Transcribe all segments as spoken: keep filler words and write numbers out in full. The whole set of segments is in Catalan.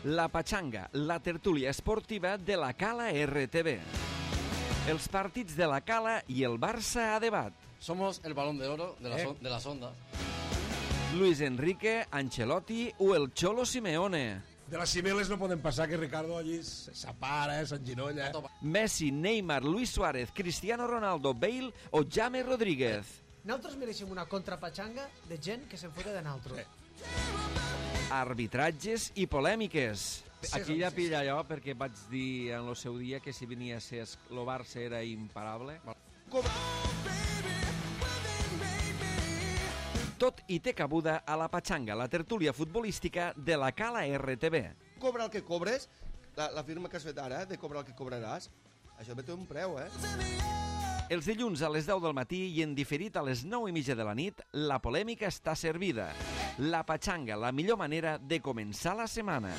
La Pachanga, la tertúlia esportiva de la Cala R T V. Els partits de la Cala i el Barça a debat. Somos el balón de oro de, la eh. de las ondas. Luis Enrique, Ancelotti o el Cholo Simeone. De las Cibeles no poden passar que Ricardo allí s'apara, s'enginolla. Messi, Neymar, Luis Suárez, Cristiano Ronaldo, Bale o James Rodríguez. Nosaltres mereixem una contrapachanga de gent que se'n fota de nosaltres. Eh. Arbitratges i polèmiques. Aquí ja pilla allò perquè vaig dir en el seu dia que si venia a ser el Barça era imparable. Tot i té cabuda a la Pachanga, la tertúlia futbolística de la Cala R T V. Cobra el que cobres, la, la firma que has fet ara, de cobrar el que cobraràs, això té un preu, eh? Els dilluns a les deu del matí i en diferit a les nou i mitja de la nit, la polèmica està servida. La Pachanga, la millor manera de començar la setmana.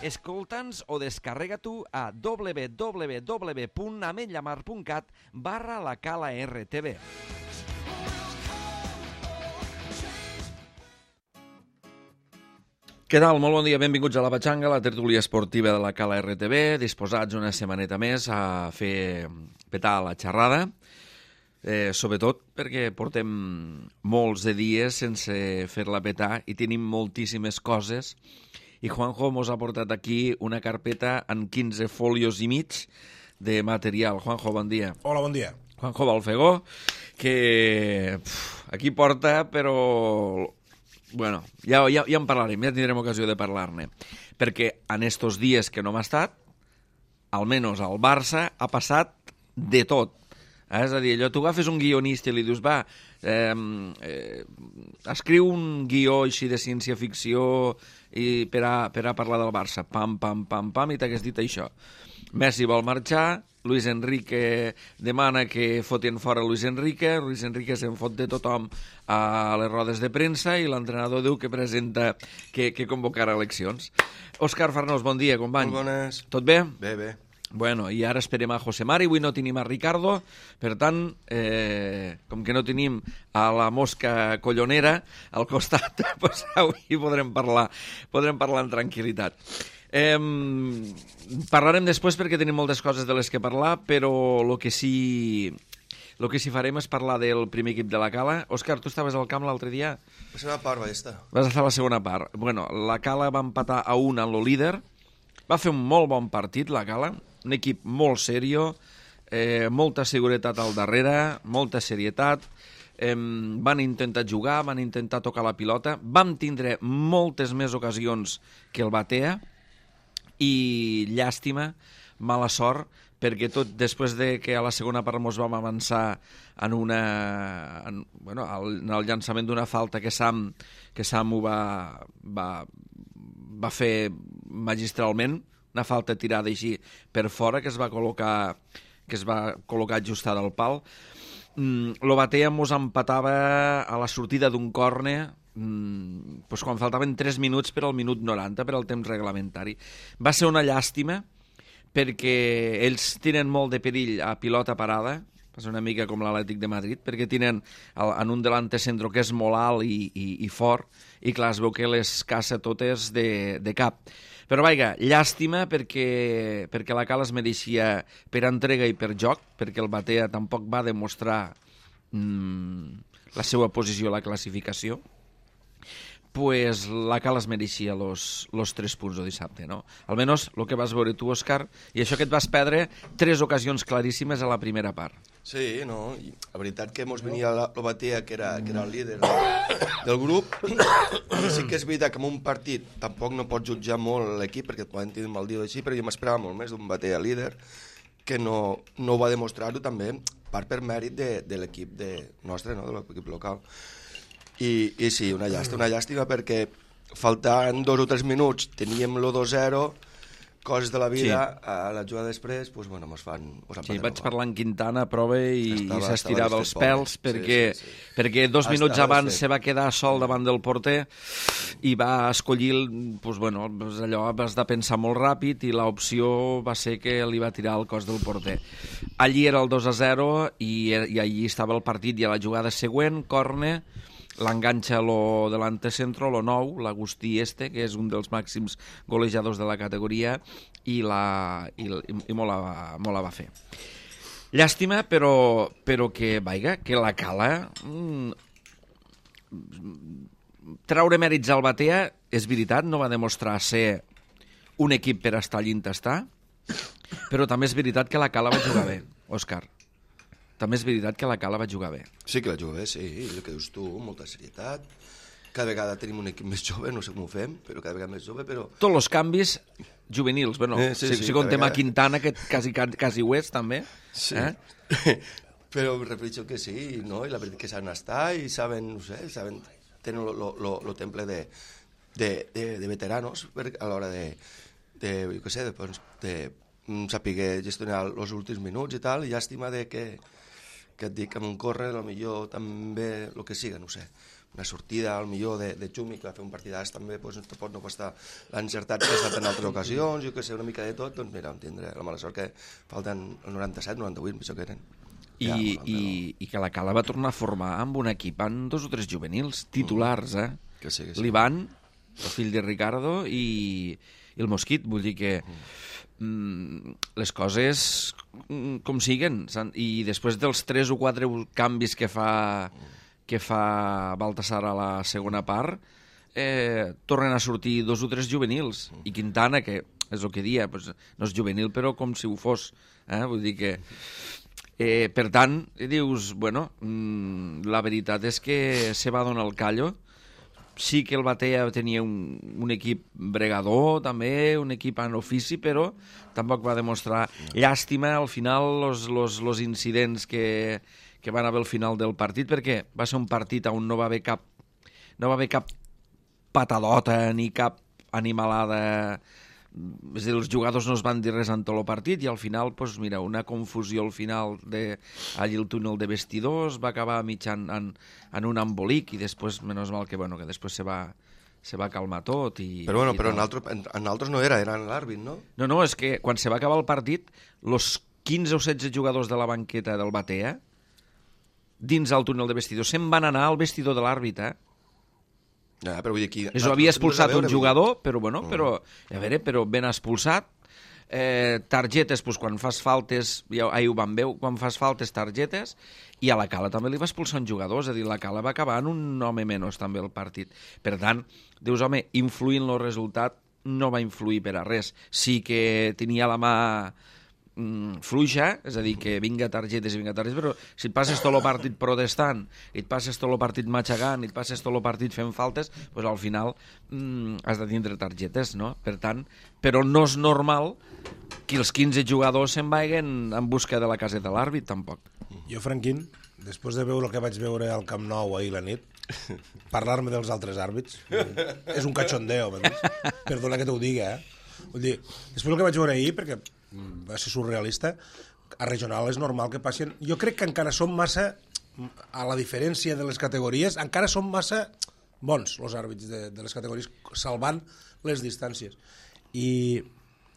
Escolta'ns o descarrega tu a w w w punt ametlllamar punt cat barra la Cala R T V. Què tal? Molt bon dia, benvinguts a la Pachanga, la tertúlia esportiva de la Cala R T V, disposats una setmaneta més a fer petar la xerrada, eh, sobretot perquè portem molts de dies sense fer-la petar i tenim moltíssimes coses, i Juanjo mos ha portat aquí una carpeta en quinze folios i mig de material. Juanjo, bon dia. Hola, bon dia. Juanjo Balfegó, que pf, aquí porta, però... Bueno, ja, ja, ja en parlarem, ja tindrem ocasió de parlar-ne. Perquè en estos dies que no m'ha estat, almenys al Barça ha passat de tot. Eh? És a dir, allò, tu agafes un guionista i li dius, va, eh, eh, escriu un guió així de ciència-ficció i per, a, per a parlar del Barça. Pam, pam, pam, pam, i t'hagués dit això. Messi vol marxar, Luis Enrique demana que fotin fora Luis Enrique, Luis Enrique se'n fot de tothom a les rodes de premsa i l'entrenador diu que presenta, que, que convocarà eleccions. Òscar Farnós, bon dia, company. Molt bones. Tot bé? Bé, bé. Bueno, i ara esperem a José Mari, avui no tenim a Ricardo, per tant, eh, com que no tenim a la mosca collonera al costat, pues avui podrem parlar, podrem parlar en tranquil·litat. Eh, parlarem després perquè tenim moltes coses de les que parlar, però el que sí... El que sí farem és parlar del primer equip de la Cala. Òscar, tu estaves al camp l'altre dia? La segona part va estar. Vas estar a la segona part. Bueno, la Cala va empatar a un en el líder. Va fer un molt bon partit, la Cala. Un equip molt serio, eh, molta seguretat al darrere, molta serietat. Eh, van intentar jugar, van intentar tocar la pilota. Vam tindre moltes més ocasions que el Batea i llàstima, mala sort, perquè tot després de que a la segona part mos vam avançar en una en, bueno, en el llançament d'una falta que Sam, que Sam ho va, va, va fer magistralment, una falta tirada així per fora que es va col·locar que es va col·locar ajustada al pal. Mm, lo Batea mos empatava a la sortida d'un córner mm, pues quan faltaven tres minuts per al minut noranta, per al temps reglamentari. Va ser una llàstima perquè ells tenen molt de perill a pilota parada, és una mica com l'Atlètic de Madrid, perquè tenen en un delante centro que és molt alt i, i, i fort, i clar, es veu que les caça totes de, de cap. Però vaja, llàstima perquè, perquè la Cala es mereixia per entrega i per joc, perquè el Batea tampoc va demostrar mmm, la seva posició a la classificació, pues la Cala es mereixia los, los tres punts de dissabte, no? Almenys el que vas veure tu, Òscar, i això que et vas perdre tres ocasions claríssimes a la primera part. Sí, no, i la veritat que mos venia el Batea, que era, que era el líder del, del grup, i sí que és veritat que en un partit tampoc no pots jutjar molt l'equip, perquè et poden tenir un mal dia així, però jo m'esperava molt més d'un Batea líder, que no, no va demostrar-ho també, part per mèrit de, de l'equip de, nostre, no? De l'equip local. I, i sí, una llàstima, una llàstima perquè faltant dos o tres minuts teníem lo dos zero, coses de la vida, sí. A la jugada després, doncs, bueno, mos fan... Sí, vaig parlar amb Quintana a prova i, i s'estirava els pèls perquè, sí, sí, sí. perquè dos estava minuts abans desfet. se va quedar sol davant del porter i va escollir, doncs, bueno, doncs allò has de pensar molt ràpid i l'opció va ser que li va tirar al cos del porter. Allí era el dos a zero i, i allí estava el partit i a la jugada següent, córner, l'enganxa lo delante centro, lo nou, l'Agustí este, que és un dels màxims golejadors de la categoria, i, la, i, i molt, la, molt la va fer. Llàstima, però, però que, vaiga, que la Cala... Mm, traure mèrits al Batea, és veritat, no va demostrar ser un equip per estar allí on està, però també és veritat que la Cala va jugar bé, Òscar. També és veritat que la Cala va jugar bé. Sí que la juga bé, sí, el que dius tu, molta serietat. Cada vegada tenim un equip més jove, no sé com ho fem, però cada vegada més jove, però... Tots els canvis juvenils, bueno, eh, sí, si, sí, si contem vegada... a Quintana, que quasi, quasi ho és, també. Sí, eh? però em refereixo que sí, no? I la veritat que saben estar i saben, no sé, saben, tenen el temple de, de, de, de veteranos per, a l'hora de, de, jo què sé, de, doncs, de saber gestionar els últims minuts i tal, i llàstima de que, que et dic, amb un córrer, potser també, el que siga, no sé, una sortida, al millor de, de Xumi, que va fer un partidàs també, doncs, pot no costar l'encertat que ha estat en altres ocasions, jo que sé, una mica de tot, doncs mira, tindré la mala sort que falten el noranta-set, noranta-vuit, això que eren. I, ja, i, i que la Cala va tornar a formar amb un equip amb dos o tres juvenils titulars, eh? Que sí, que sí. L'Ivan, el fill de Ricardo, i, i el Mosquit, vull dir que mm, les coses mm, com siguen, i després dels tres o quatre canvis que fa... que fa Baltasar a la segona part, eh, tornen a sortir dos o tres juvenils. I Quintana, que és el que dia, pues, no és juvenil, però com si ho fos. Eh? Vull dir que... Eh, per tant, dius, bueno, mmm, la veritat és que se va donar el callo. Sí que el Batea tenia un, un equip bregador, també, un equip en ofici, però tampoc va demostrar llàstima al final los, los, los incidents que... que van haver al final del partit, perquè va ser un partit on no va haver cap no va haver cap patadota ni cap animalada, és a dir, els jugadors no es van dir res en tot el partit, i al final, doncs, mira, una confusió al final de, allí el túnel de vestidors va acabar mitjan en, en un embolic, i després, menys mal que, bueno, que després se va, se va calmar tot. I, però bueno, i però en, altre, en, en altres no era, era l'àrbit, no? No, no, és que quan se va acabar el partit, los quinze o setze jugadors de la banqueta del Batea, dins el túnel de vestidor, se'n van anar al vestidor de l'àrbit, eh? Ja, però vull dir aquí... Això havia expulsat un jugador, però, bueno, però, a veure, però ben expulsat. Eh, targetes, doncs, quan fas faltes, ja, ahir ho vam veure, quan fas faltes, targetes, i a la Cala també li va expulsar un jugador, és a dir, la Cala va acabar en un home menys també el partit. Per tant, dius, home, influint el resultat no va influir per a res. Sí que tenia la mà fluixa, és a dir, que vinga targetes i vinga targetes, però si et passes tot el partit protestant, i et passes tot el partit matxagant, i et passes tot el partit fent faltes, doncs al final mm, has de tindre targetes, no? Per tant, però no és normal que els quinze jugadors se'n vagin en busca de la caseta de l'àrbit, tampoc. Jo, Franquín, després de veure el que vaig veure al Camp Nou ahir la nit, parlar-me dels altres àrbits és un cachondeo, perdona que t'ho digui, eh? Vull dir, després del que vaig veure ahir, perquè va ser surrealista, a regional és normal que passin... Jo crec que encara som massa, a la diferència de les categories, encara som massa bons, els àrbits de, de les categories, salvant les distàncies. I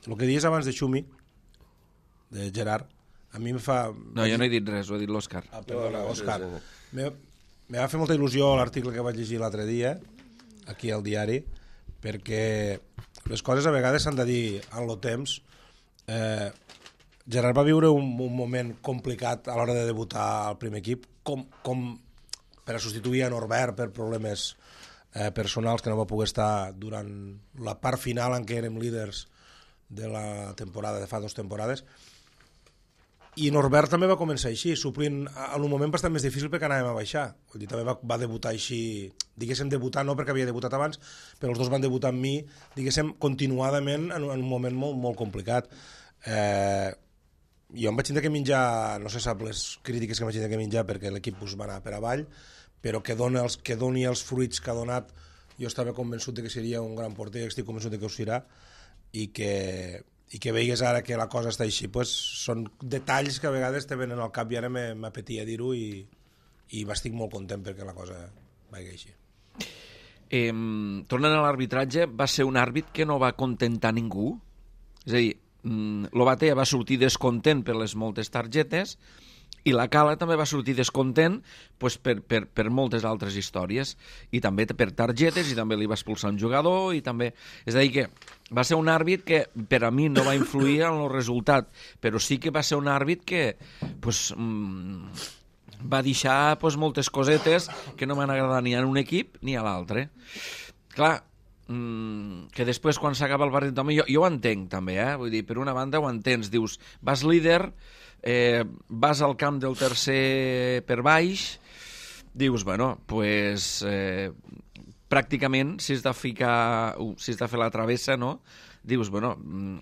el que dius abans de Xumi, de Gerard, a mi em fa... No, jo no he dit res, ho ha dit l'Òscar. Ah, perdona, Òscar. Me, me va fer molta il·lusió l'article que vaig llegir l'altre dia, aquí al diari, perquè les coses a vegades s'han de dir en el temps. Eh, Gerard va viure un, un moment complicat a l'hora de debutar al primer equip, com, com per a substituir a Norbert per problemes eh, personals, que no va poder estar durant la part final en què érem líders de la temporada, de fa dues temporades. I Norbert també va començar així, suplint en un moment bastant més difícil perquè anàvem a baixar. Vull dir, també va, va debutar així, diguéssim debutar, no perquè havia debutat abans, però els dos van debutar amb mi, diguéssim, continuadament en, en un moment molt, molt complicat. Eh, jo em vaig tindre que menjar, no se sap les crítiques que em vaig tindre que menjar perquè l'equip pues, va anar per avall, però que, dona els, que doni els fruits que ha donat, jo estava convençut de que seria un gran porter, estic convençut de que ho serà, i que... i que veigues ara que la cosa està així, pues, són detalls que a vegades te venen al cap i ara m'apetia dir-ho i, i m'estic molt content perquè la cosa vagi així. Eh, tornant a l'arbitratge, va ser un àrbit que no va contentar ningú, és a dir, l'Obatea va sortir descontent per les moltes targetes I la Cala també va sortir descontent pues, per, per, per moltes altres històries, i també per targetes, i també li va expulsar un jugador, i també... És a dir, que va ser un àrbit que per a mi no va influir en el resultat, però sí que va ser un àrbit que pues, mmm, va deixar pues, moltes cosetes que no m'han agradat ni a un equip ni a l'altre. Clar, mmm, que després quan s'acaba el partit, home, jo, jo ho entenc també, eh? Vull dir, per una banda ho entens, dius, vas líder, eh, vas al camp del tercer per baix, dius, bueno, pues, eh, pràcticament, si has de ficar, si has de fer la travessa, no? Dius, bueno,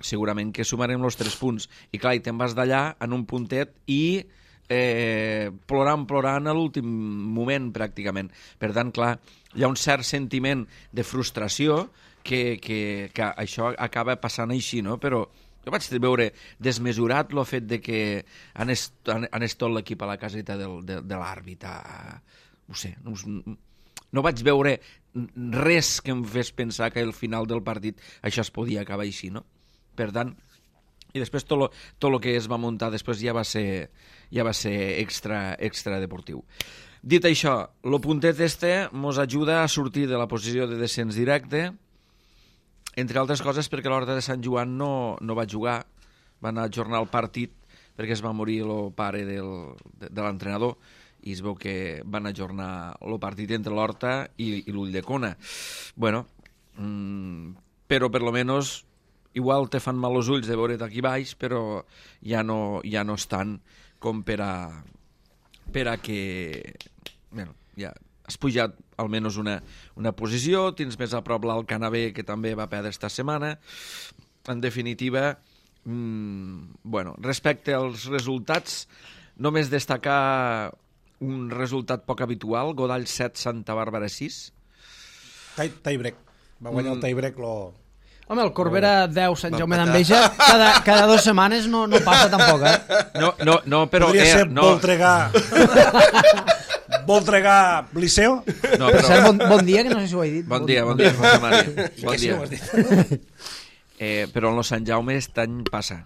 segurament que sumarem els tres punts. I clar, i te'n vas d'allà en un puntet i eh, plorant, plorant a l'últim moment, pràcticament. Per tant, clar, hi ha un cert sentiment de frustració que, que, que això acaba passant així, no? Però jo vaig veure desmesurat el fet de que anés, anés tot l'equip a la caseta del, de, de l'àrbit. No sé, no, no vaig veure res que em fes pensar que al final del partit això es podia acabar així, no? Per tant, i després tot lo, tot lo que es va muntar després ja va ser, ja va ser extra, extra deportiu. Dit això, el puntet este mos ajuda a sortir de la posició de descens directe, entre altres coses perquè l'Horta de Sant Joan no, no va jugar, va anar a ajornar el partit perquè es va morir el pare del, de, de l'entrenador, i es veu que van ajornar el partit entre l'Horta i, i l'Ulldecona. Bueno, mmm, però per lo menos igual te fan mal els ulls de veure't aquí baix, però ja no, ja no estan com per a, per a que... Bueno, ja has pujat almenys una, una posició, tens més a prop l'Alcanavè, que també va perdre esta setmana. En definitiva, mmm, bueno, respecte als resultats, només destacar un resultat poc habitual, Godall set, Santa Bàrbara sis. Tie-break. Va guanyar el tie-break, lo... Home, el Corbera deu, Sant Jaume d'Enveja, cada, cada dues setmanes no, no passa tampoc, eh? No, no, no però... Podria eh, ser no. Voltregà... Voltregà Liceo? No, Per però... cert, bon, bon dia, que no sé si ho he dit. Bon dia, bon dia, José Mari. I Bon que si dia. no ho has dit? Eh, però en el Sant Jaume aquest any passa.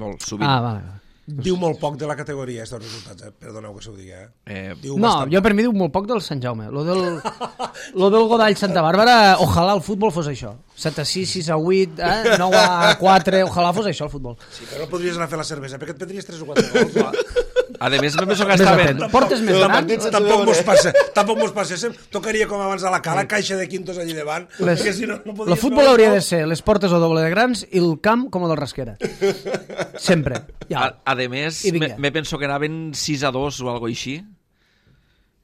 Molt, sovint. Ah, vale. Diu molt poc de la categoria, aquests resultats, eh? Perdoneu que s'ho digui, eh? Eh, Diu No, bastant jo poc. per mi diu molt poc del Sant Jaume. Lo del, lo del Godall Santa Bàrbara, ojalà el futbol fos això. set a sis, sis a vuit, eh? nou a quatre, ojalà fos això el futbol. Sí, però no podries anar a fer la cervesa, perquè et prendries tres o quatre gols. a més, me penso que Més estaven... atent. Portes més grans? Tampoc mos passa, tampoc mos passéssim. Tocaria com abans a la cala, caixa de quintos allí davant, Les, perquè si no, no el podries futbol veure hauria el de ser les portes o doble de grans i el camp com el del Rasquera. Sempre. Ja. A, a més, I me, vinga. me penso que anaven sis a dos o algo així,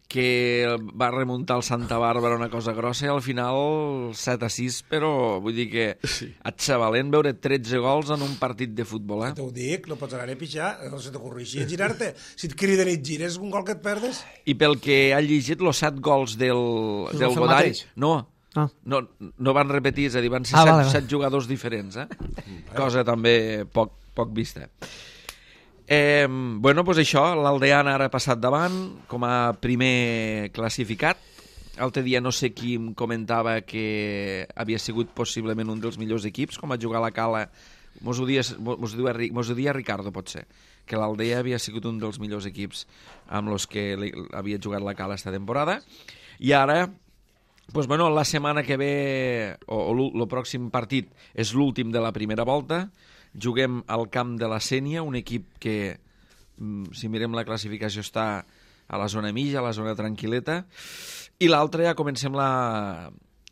que va remuntar el Santa Bàrbara una cosa grossa i al final set a sis, però vull dir que sí. Et xavalent veure tretze gols en un partit de futbol, eh? T'ho dic, no pots anar a pixar, no se t'ocorreixi a girar-te. Si et criden i et gires, un gol que et perdes. I pel que ha llegit, els set gols del, Es del va fer el Godall... mateix? No, Ah. no, no van repetir, és a dir, van ser Ah, set, vale, vale. set jugadors diferents, eh? Cosa també poc, poc vista. Eh, bueno, doncs això, l'Aldeana ara ha passat davant com a primer classificat. L'altre dia no sé qui em comentava que havia sigut possiblement un dels millors equips, com a jugar a la Cala. Mos ho dia, mos ho dia, mos ho dia Ricardo, pot ser, que l'Aldea havia sigut un dels millors equips amb els que havia jugat la Cala esta temporada. I ara, doncs, bueno, la setmana que ve, o, o el pròxim partit, és l'últim de la primera volta. Juguem al camp de la Sénia, un equip que, si mirem la classificació, està a la zona mitja, a la zona tranquil·leta, i l'altre ja comencem la,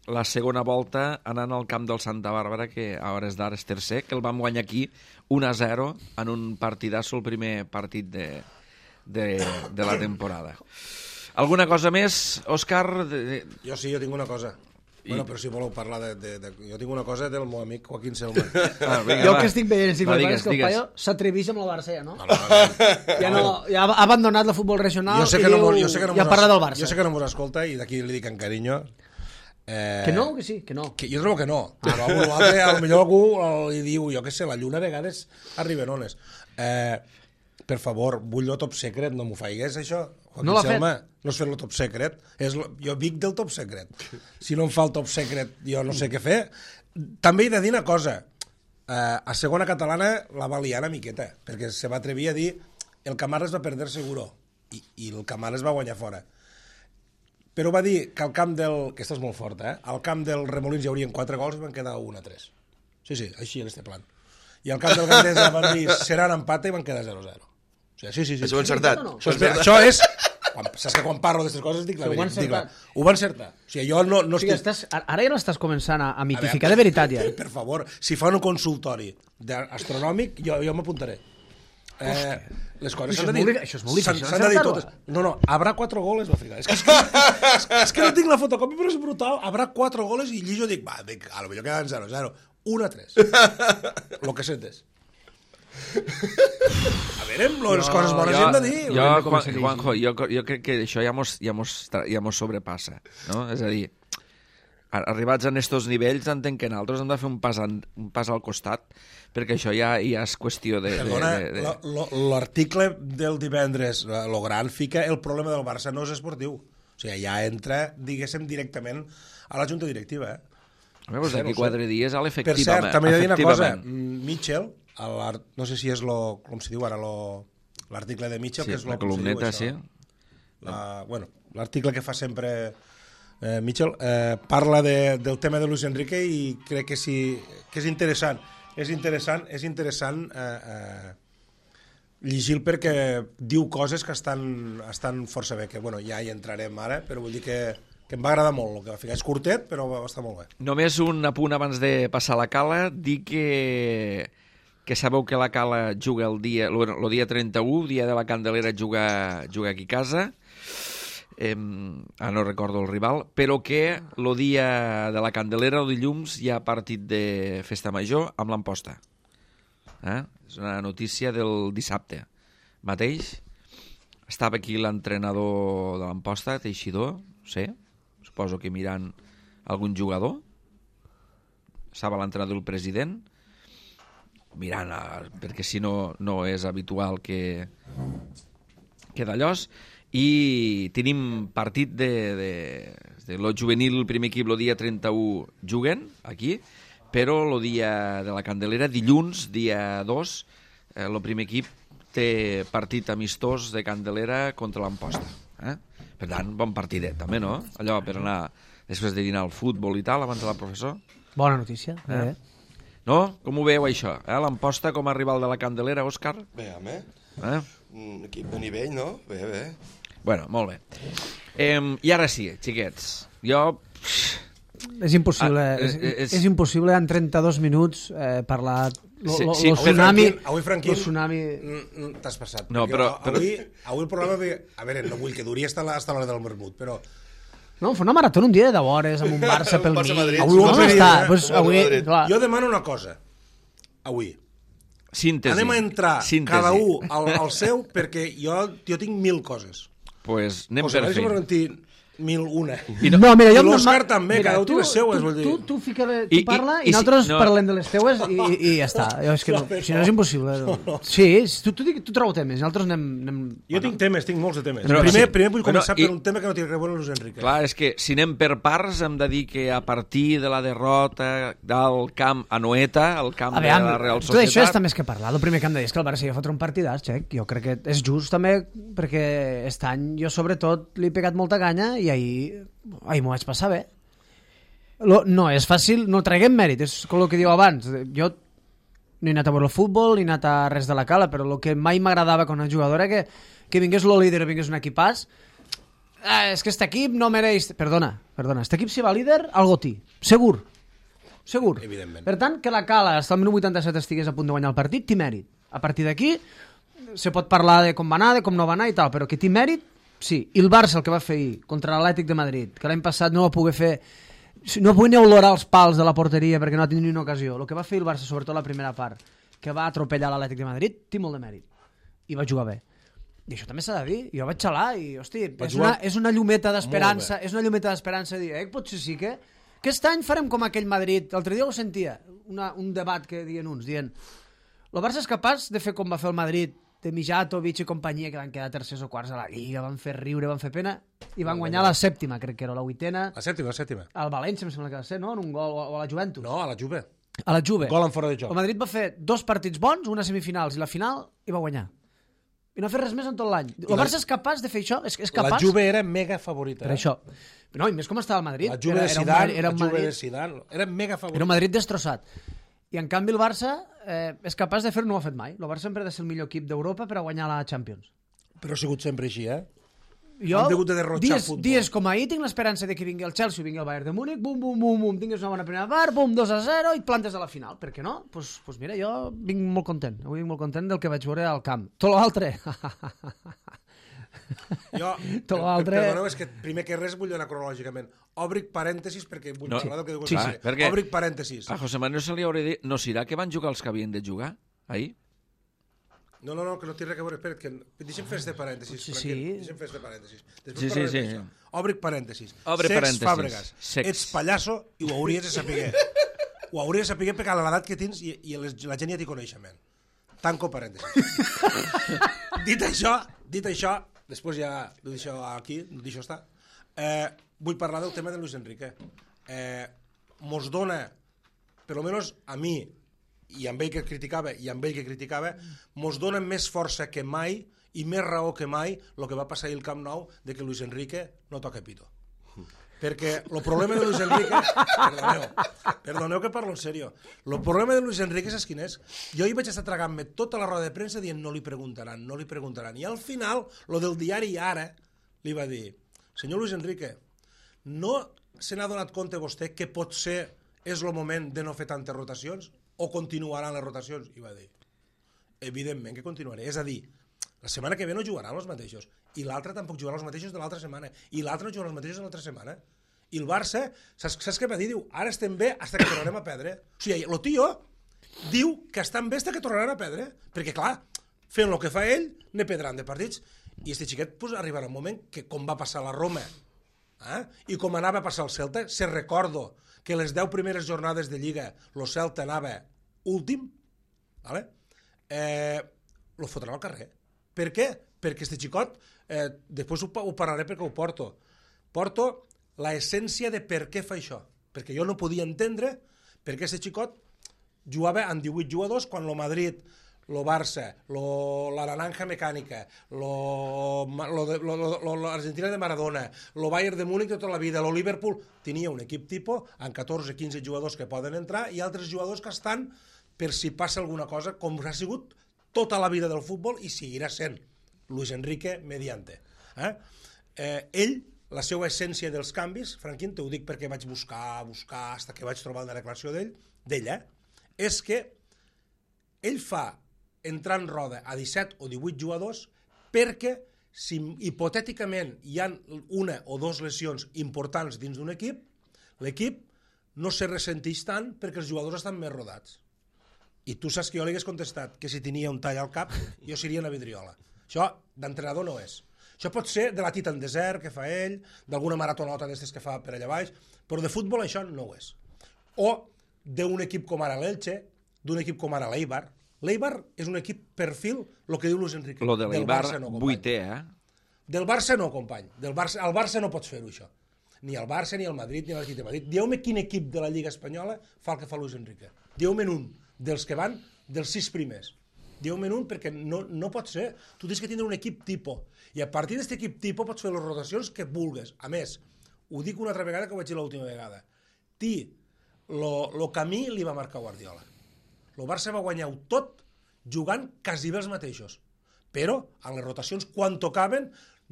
la segona volta anant al camp del Santa Bàrbara, que a hores d'ara és tercer, que el vam guanyar aquí un a zero en un partidasso, el primer partit de, de, de la temporada. Alguna cosa més, Òscar? De... Jo sí, jo tinc una cosa. I... Bueno, però si voleu parlar de, de, de... Jo tinc una cosa del meu amic Joaquín Selma. Ah, vinga, Jo va. que estic veient, estic Va, veient digues, que el digues. paio s'atreveix amb la Barça, no? No, no, no. Ja, no, ja ha abandonat el futbol regional Jo sé i que no, diu, mos- jo sé que no ja mos- parla del Barça. Jo sé que no mos escolta i d'aquí li dic en carinyo. Eh, Que no, que sí, que no. Que jo trobo que no, però algú, l'altre, a lo millor algú li diu, jo què sé, la lluna a vegades arriba en ones. Eh, per favor, vull el top secret, no m'ho faigues, això. Joaquín No l'ha Selma, no és fer el top secret, és lo, jo vic del top secret. Si no em fa el top secret, jo no sé què fer. També he de dir una cosa, eh, a segona catalana la va liar una miqueta, perquè se va atrevir a dir el Camarles va perder seguro, i, i el Camarles va guanyar fora. Però va dir que al camp del... Aquesta és molt forta, eh? Al camp del Remolins hi haurien quatre gols i van quedar un a tres. Sí, sí, així en este plan. I al camp del Gandesa van dir serà un empat i van quedar zero a zero. O sigui, sí, sí, sí. Això ho he encertat. No? Això, és, això és... Quan, saps que quan parlo d'aquestes coses dic la veritat. Dic la... Ho van encertar. O sigui, jo no, no o sigui, estic... estàs, ara ja no estàs començant a, a mitificar a veure, de veritat, ja. Per favor, si fan un consultori astronòmic, jo, jo m'apuntaré. Eh, les coses s'han de dir. Això és molt difícil. S'han de dir totes. No, no, habrà quatre goles, va ficar. És que, és, que, és, és que no tinc la fotocòpia, però és brutal. Habrà quatre goles i llijo dic, va, dic, a lo millor quedan zero a zero. un a tres. Lo que sentes. A veure, les coses bones hem de dir. Jo, Juan, Juanjo, jo, jo crec que això ja mos, ja mos, ja mos sobrepassa, no? És a dir, arribats a estos nivells entenc que nosaltres hem de fer un pas, en, un pas al costat, perquè això ja, ja és qüestió de... Perdona, de, de, de... l'article del divendres, lo gran, fica el problema del Barça no és esportiu. O sigui, ja entra, diguéssim, directament a la junta directiva. Eh? Veus, d'aquí quatre dies a l'efectivament. Per cert, també he de dir una cosa, Mitchell, no sé si és lo, com se diu ara, l'article de Mitchell, sí, que és lo, la columneta, diu, sí. La, bueno, l'article que fa sempre eh, Mitchell, eh, parla de, del tema de Luis Enrique i crec que, sí, que és interessant. És interessant, és interessant eh, eh, llegir perquè diu coses que estan, estan força bé, que bueno, ja hi entrarem ara, però vull dir que, que em va agradar molt el que va ficar. És curtet, però va estar molt bé. Només un apunt abans de passar a la Cala, dir que, que sabeu que la Cala juga el dia, el, el dia trenta-u, dia de la Candelera, juga, juga aquí a casa, eh, ah, no recordo el rival, però que el dia de la Candelera, el dilluns, hi ha partit de Festa Major amb l'Amposta. Eh? És una notícia del dissabte mateix. Estava aquí l'entrenador de l'Amposta, Teixidor, no sé, suposo que mirant algun jugador. Estava l'entrenador del president, mirant, a, perquè si no, no és habitual que, que d'allòs. I tenim partit de, de, de lo juvenil, el primer equip, el dia trenta-u juguen aquí, però el dia de la Candelera, dilluns, dia dos, eh, el primer equip té partit amistós de Candelera contra l'Amposta. Eh? Per tant, bon partidet, també, no? Allò per anar, després de dinar al futbol i tal, abans de la professor. Bona notícia. Eh? Eh? No? Com ho veieu, això? Eh? L'Amposta com a rival de la Candelera, Òscar? Bé, home. Eh? Un equip de nivell, no? Bé, bé. Bueno, molt bé. Eh, I ara sí, xiquets. Jo... És impossible, Ah, és, és- és, és impossible en trenta-dos minuts eh, parlar lo, Sí, lo, sí, lo avui, tsunami, Franquín, avui, Franquín, lo tsunami... mm, mm, t'has passat. No, perquè però- Avui, avui el programa... A veure, no vull que duri hasta la- hasta l'hora del vermut, però... No, fa una marató un dia de deu hores amb un Barça pel Un mig. Barça-Madrid. Avui ho no, vam no fer està. ahir, eh? Pues, avui, Madrid. clar, Jo demano una cosa, avui. Síntesi. Anem a entrar Síntesi. cada un al, al seu, perquè jo, jo tinc mil coses. Pues anem José per Luis feina. Valentí, mil una. I no, mira, jo... I l'Òscar ma- també, mira, cada un té tu- les seues, tu, vull dir. Tu, tu, fica, tu I- i- parla i i, si- nosaltres no. parlem de les teues i, i, i ja està. Jo, és que no, si no és impossible. No. Sí, tu, tu, tu trobo temes, nosaltres anem... anem... Jo tinc temes, tinc molts de temes. Però primer, sí. primer vull Bueno, començar i- per un tema que no té res a veure amb Luis Enrique. Clar, és que si anem per parts hem de dir que a partir de la derrota del camp a Noeta, el camp A veure, de la Real tot això Societat... està més que parlar. El primer que hem de dir és que el Barça ja fotrà un partidàs, Xec. Jo crec que és just també perquè aquest any jo sobretot li he pegat molta canya i ahir, ahir m'ho vaig passar bé. Lo, no és fàcil, no traguem mèrit, és com el que diu abans. Jo no he anat a veure el futbol, ni he anat a res de la Cala, però el que mai m'agradava com a jugador era que, que vingués lo líder o vingués un equipàs. Ah, és que este equip no mereix... Perdona, perdona, este equip si va líder, algo té, segur. Segur. Evidentment. Per tant, que la Cala fins al minut vuitanta-set estigués a punt de guanyar el partit, té mèrit. A partir d'aquí se pot parlar de com va anar, de com no va anar i tal, però que té mèrit, sí. I el Barça, el que va fer ahir contra l'Atlètic de Madrid, que l'any passat no va poder fer... No va poder ni olorar els pals de la porteria perquè no ha tingut ni una ocasió. El que va fer el Barça, sobretot la primera part, que va atropellar l'Atlètic de Madrid, té molt de mèrit. I va jugar bé. I això també s'ha de dir. Jo vaig xalar i, hosti, és una, és una llumeta d'esperança, és una llumeta d'esperança dir, eh, potser sí que aquest any farem com aquell Madrid. L'altre dia ho sentia, una, un debat que diuen uns, dient el Barça és capaç de fer com va fer el Madrid, de Mijatovic i companyia, que van quedar tercers o quarts a la Lliga, van fer riure, van fer pena, i van guanyar la sèptima, crec que era la vuitena, La sèptima, la sèptima. al València, em sembla que va ser, no? En un gol, o a la Juventus. No, a la Juve. A la Juve. Gol en fora de joc. El Madrid va fer dos partits bons, una semifinals i la final, i va guanyar. i no ha fet res més en tot l'any. El Barça és capaç de fer això? És, és capaç? La Juve era mega favorita. Per eh? això. No, i més com estava el Madrid. La Juve era, de era un Zidane, Madrid- era un la Juve Madrid- de Zidane, era mega favorita. Era un Madrid destrossat. I en canvi el Barça eh, és capaç de fer-ho, no ho ha fet mai. El Barça sempre ha de ser el millor equip d'Europa per a guanyar la Champions. Però ha sigut sempre així, eh? Jo, Han hagut de derrotxar dies, futbol. dies com ahir tinc l'esperança de que vingui el Chelsea o vingui el Bayern de Múnich, bum, bum, bum, bum, tingues una bona primera part, bum, dos a zero i et plantes a la final. Per què no? Doncs pues, pues mira, jo vinc molt content. Avui vinc molt content del que vaig veure al camp. Tot l'altre... Jo, Tot l'altre- perdoneu, és que primer que res vull anar cronològicament. Obric parèntesis perquè vull No. parlar del que diu Sí, José. sí, perquè- Obric parèntesis. A José Manuel se li hauria dit, no serà que van jugar els que havien de jugar ahir? No, no, no, que no té res a veure. Espera, que... deixa'm fer este parèntesis. Sí, Franquet, sí. Deixa'm fer este parèntesis. Després Sí, sí, parlarem sí. d'això. Obric parèntesis. Obre Sex parèntesis. Fàbregas. Sex. Ets pallasso i ho hauries de saber. Ho hauries de saber perquè a l'edat que tens i, i les, la gent ja t'hi coneix, men. Tanco parèntesis. dit això, dit això, després ja ho deixo aquí, deixo estar, eh, vull parlar del tema de Luis Enrique. Eh, mos dona, per almenys a mi, i amb ell que criticava i amb ell que criticava, mos dona més força que mai i més raó que mai el que va passar ahir al Camp Nou de que Luis Enrique no toca pito. Perquè el problema de Luis Enrique... Perdoneu, perdoneu que parlo en sèrio. El problema de Luis Enrique és quin és? Jo hi vaig estar tragant-me tota la roda de premsa dient no li preguntaran, no li preguntaran. I al final, lo del diari Ara li va dir, senyor Luis Enrique, no se n'ha donat compte vostè que potser és el moment de no fer tantes rotacions o continuaran les rotacions? I va dir, evidentment que continuaré. És a dir, la setmana que ve no jugaran els mateixos i l'altra tampoc jugaran els mateixos de l'altra setmana i l'altra no jugaran els mateixos de l'altra setmana. I el Barça, saps, saps què va dir? Diu, ara estem bé fins que tornarem a perdre. O sigui, el tio diu que estan bé fins que tornaran a perdre, perquè clar, fent el que fa ell, ne perdran de partits. I este xiquet pues, arribarà un moment que, com va passar a la Roma, eh? I com anava a passar el Celta, se recordo que les deu primeres jornades de Lliga el Celta anava últim, vale? eh, lo fotran al carrer. Per què? Perquè este xicot, eh, després ho, ho parlaré perquè ho porto, porto la essència de per què fa això. Perquè jo no podia entendre per què este xicot jugava amb divuit jugadors quan el Madrid, lo Barça, lo, la Naranja Mecànica, l'Argentina de Maradona, lo Bayern de Múnich de tota la vida, lo Liverpool, tenia un equip tipus amb catorze quinze jugadors que poden entrar i altres jugadors que estan per si passa alguna cosa, com ha sigut tota la vida del futbol i seguirà sent Luis Enrique mediante. Eh? Eh, ell, la seva essència dels canvis, Franquín, t'ho dic perquè vaig buscar, buscar, fins que vaig trobar una declaració d'ell, d'ella, és que ell fa entrar en roda a disset o divuit jugadors perquè si hipotèticament hi ha una o dues lesions importants dins d'un equip, l'equip no se ressenteix tant perquè els jugadors estan més rodats. I tu saps que jo li hagués contestat que si tenia un tall al cap jo seria una vidriola. Això d'entrenador no és. Això pot ser de la Titan Desert que fa ell, d'alguna maratonota d'estes que fa per allà baix, però de futbol això no ho és. O d'un equip com ara l'Elche, d'un equip com ara l'Eibar. L'Eibar és un equip perfil, el que diu Luis Enrique. Lo de l'Eibar, no, vuitè, eh? Del Barça no, company. Del Barça, al Barça no pots fer-ho, això. Ni el Barça, ni el Madrid, ni l'Atlètic de Madrid. Dieu-me quin equip de la Lliga Espanyola fa el que fa Luis Enrique. Dieu-me un dels que van dels sis primers. Dieu-me un perquè no, no pot ser. Tu tens que tindre un equip tipus. I a partir d'aquest equip tipus pots fer les rotacions que vulgues. A més, ho dic una altra vegada que ho vaig dir l'última vegada. Ti, lo, lo camí li va marcar Guardiola. El Barça va guanyar-ho tot jugant quasi bé els mateixos. Però, en les rotacions, quan tocaven,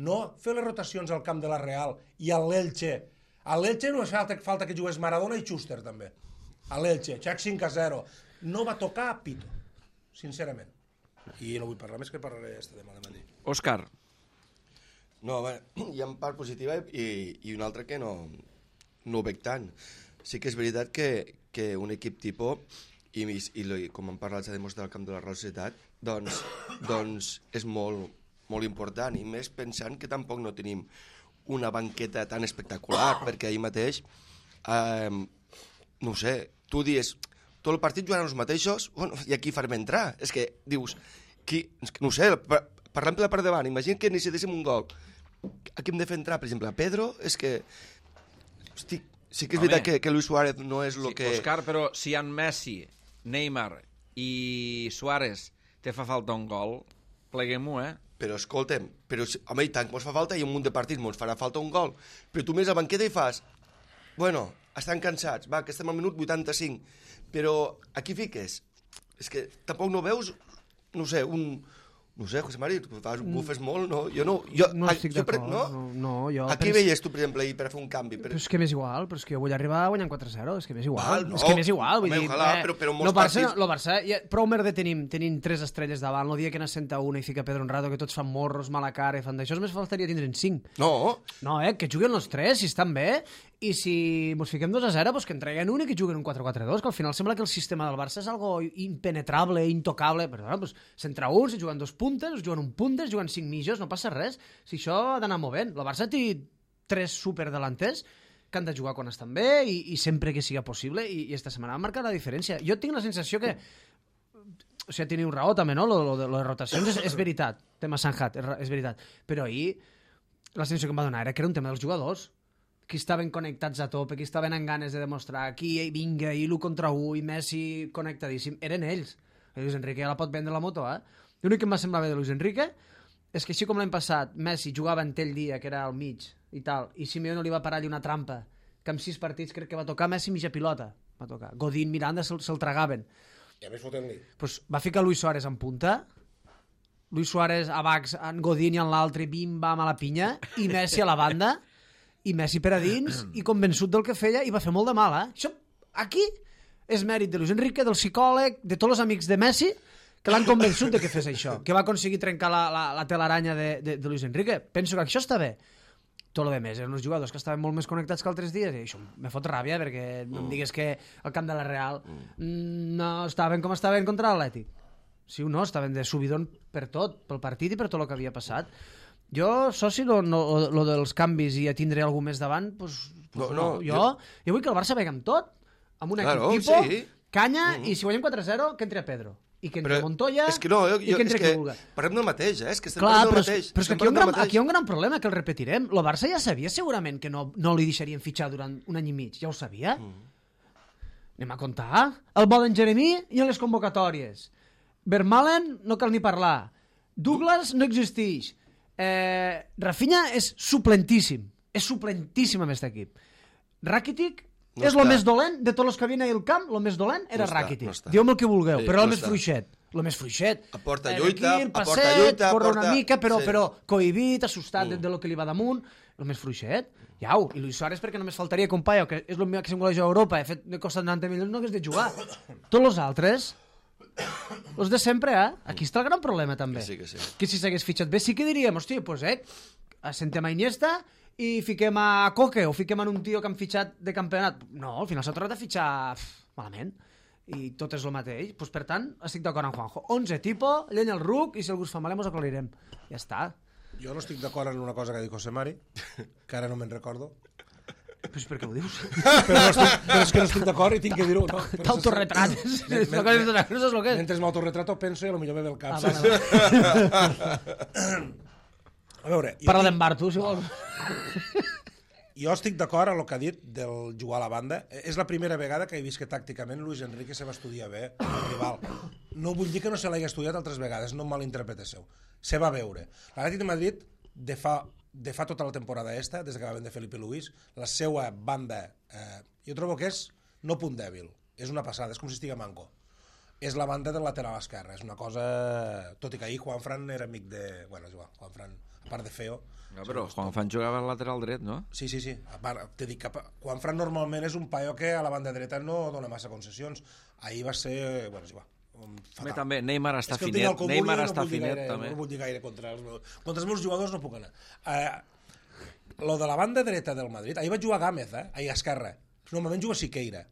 no fer les rotacions al camp de la Real i a l'Elche. A l'Elche no falta, falta que jugués Maradona i Schuster, també. A l'Elche, xac cinc a zero. No va tocar a pito, sincerament. I no vull parlar més, que parlaré este demà de matí. Òscar. No, bé, hi ha part positiva i, i una altra que no, no ho veig tant. Sí que és veritat que, que un equip tipus, i, i, i com han parlat s'ha demostrat al camp de la Real Societat, doncs, doncs és molt, molt important, i més pensant que tampoc no tenim una banqueta tan espectacular, perquè ahir mateix, eh, no ho sé, tu dius, tot el partit jugaran els mateixos, bueno, i aquí farem entrar. És que dius, qui, no ho sé, parlant per la part davant, imagina que necessitéssim un gol. A qui hem de fer entrar, per exemple, a Pedro? És que, hosti, sí que és Home. veritat que, que Luis Suárez no és el Sí, que... Òscar, però si en Messi, Neymar i Suárez te fa falta un gol, pleguem-ho, eh? però escolta'm, però, home, i tant que mos fa falta, i un munt de partits mos farà falta un gol, però tu més a banqueta i fas, bueno, estan cansats, va, que estem al minut vuitanta-cinc, però aquí fiques, és que tampoc no veus, no sé, un... No sé, José Mari, tu fas, bufes molt, no? Jo no... Jo, no estic jo, d'acord. No? No, no, jo... A què pens... veies tu, per exemple, ahir per fer un canvi? Per... Però és que m'és igual, però és que jo vull arribar guanyant quatre a zero, és que m'és igual. Val, no. És que m'és igual, vull Home, dir... ojalà, eh, però, però molts lo Barça, partits... Lo Barça, ja, prou merda tenim, tenim tres estrelles davant, el dia que n'assenta una i fica Pedro Honrado, que tots fan morros, mala cara i fan d'això, només faltaria tindre'n cinc. No. No, eh, que juguen els tres, si estan bé, i si mos fiquem dos a zero, doncs que en treguen un i que juguen un quatre quatre dos, que al final sembla que el sistema del Barça és algo impenetrable, intocable, però bueno, doncs, s'entra un, si juguen dos puntes, es juguen un puntes, juguen cinc mitjos, no passa res. Si això ha d'anar movent. El Barça té tres superdelanters que han de jugar quan estan bé i, i sempre que siga possible, i, i esta setmana ha marcat la diferència. Jo tinc la sensació que o sigui, teniu raó també, no? Lo, lo, de, lo de rotacions és, és veritat, tema Sanjat, és, és veritat, però ahir la sensació que em va donar era que era un tema dels jugadors, qui estaven connectats a tope, qui estaven amb ganes de demostrar, qui vinga, i l'u contra u, i Messi connectadíssim, eren ells. I Luis Enrique ja la pot vendre la moto, eh? L'únic que em va semblar bé de Luis Enrique és que així com l'any passat Messi jugava en ell dia, que era al mig i tal, i Simeone li va parar allà una trampa que amb sis partits crec que va tocar Messi mitja pilota, va tocar. Godín, Miranda se'l se tragaven. I a més fotent-li. Pues va ficar Luis Suárez en punta, Luis Suárez a Bax, en Godín i en l'altre, bim-bam a la pinya, i Messi a la banda, i Messi per a dins, i convençut del que feia, i va fer molt de mal, eh? Això, aquí, és mèrit de Luis Enrique, del psicòleg, de tots els amics de Messi, que l'han convençut de que fes això, que va aconseguir trencar la, la, la telaranya de, de, de Luis Enrique. Penso que això està bé. Tot el més, eren uns jugadors que estaven molt més connectats que altres dies, i això me fot ràbia, perquè no em digues que al camp de la Real no estaven com estaven contra l'Atlètic. Sí o no, estaven de subidon per tot, pel partit i per tot el que havia passat. Jo, soci, lo, no, lo dels canvis i a tindre algú més davant, pues, pues no, no, jo, jo... jo vull que el Barça vegi amb tot, amb un claro, equip tipus, sí. canya, mm. i si guanyem quatre a zero, que entri a Pedro. I que entre però Montoya és que no, jo, i que entre qui vulgui. Parlem del mateix, eh? És que estem Clar, parlant del però, mateix. però és que aquí hi, ha un gran, aquí hi ha un gran problema, que el repetirem. El Barça ja sabia segurament que no, no li deixarien fitxar durant un any i mig. Ja ho sabia. Mm. Anem a comptar. El volen Jeremí i en les convocatòries. Vermaelen no cal ni parlar. Douglas no existeix. Eh, Rafinha és suplentíssim. És suplentíssim amb aquest equip. Rakitic... No és el més dolent de tots els que havien al camp, el més dolent era no Rakitic. No Dieu-me el que vulgueu, sí, però el no més està. fluixet. El més fluixet. Aporta lluita, aquí, passet, aporta lluita, corre aporta... una mica, però, sí. però cohibit, assustat mm. de, de lo que li va damunt. El més fluixet. Iau, i Luis Suárez perquè només faltaria que un paio, que és el millor que s'engoleix a Europa, he fet de costa noranta milions, no hagués de jugar. Tots els altres, els de sempre, eh? Aquí està el gran problema, també. Que sí, que sí. Que si s'hagués fitxat bé, sí que diríem, hòstia, doncs, eh, assentem a Iniesta i fiquem a Coque o fiquem en un tio que han fitxat de campionat. No, al final s'ha tornat a fitxar pff, malament i tot és el mateix. Pues, per tant, estic d'acord amb Juanjo. onze tipo, llenya el ruc i si algú es fa mal mos aclarirem. Ja està. Jo no estic d'acord en una cosa que ha dit José Mari, que ara no me'n recordo. Pues per què ho dius? Però, no estic, però és que no estic d'acord i tinc que dir-ho. No? T'autorretrates. Mentre m'autorretrato penso i potser me ve el cap. Ah, a veure... Parla d'en Bartu, si vols. Jo estic d'acord amb el que ha dit del jugar a la banda. És la primera vegada que he vist que tàcticament Luis Enrique se va estudiar bé el rival. No vull dir que no se l'hagi estudiat altres vegades, no malinterpreteu. Se va veure. L'Atlètic de Madrid, de fa, de fa tota la temporada esta, des que va vendre Felipe Luis, la seva banda, eh, jo trobo que és no punt dèbil. És una passada, és com si estigui manco. És la banda del lateral esquerre. És una cosa... Tot i que ahir Juanfran era amic de... Bueno, és igual, Juanfran, a part de feo... No, però Juanfran jugava al lateral dret, no? Sí, sí, sí. A part, te dic que Juanfran normalment és un paio que a la banda dreta no dona massa concessions. Ahir va ser... Bueno, és igual. Fatal. També, Neymar està finet. Neymar no està finet, gaire, també. No vull dir gaire contra els meus... Contra els meus jugadors no puc anar. Eh, lo de la banda dreta del Madrid... Ahir vaig jugar a Gámez, eh? Ahir a esquerra. Normalment juga Siqueira.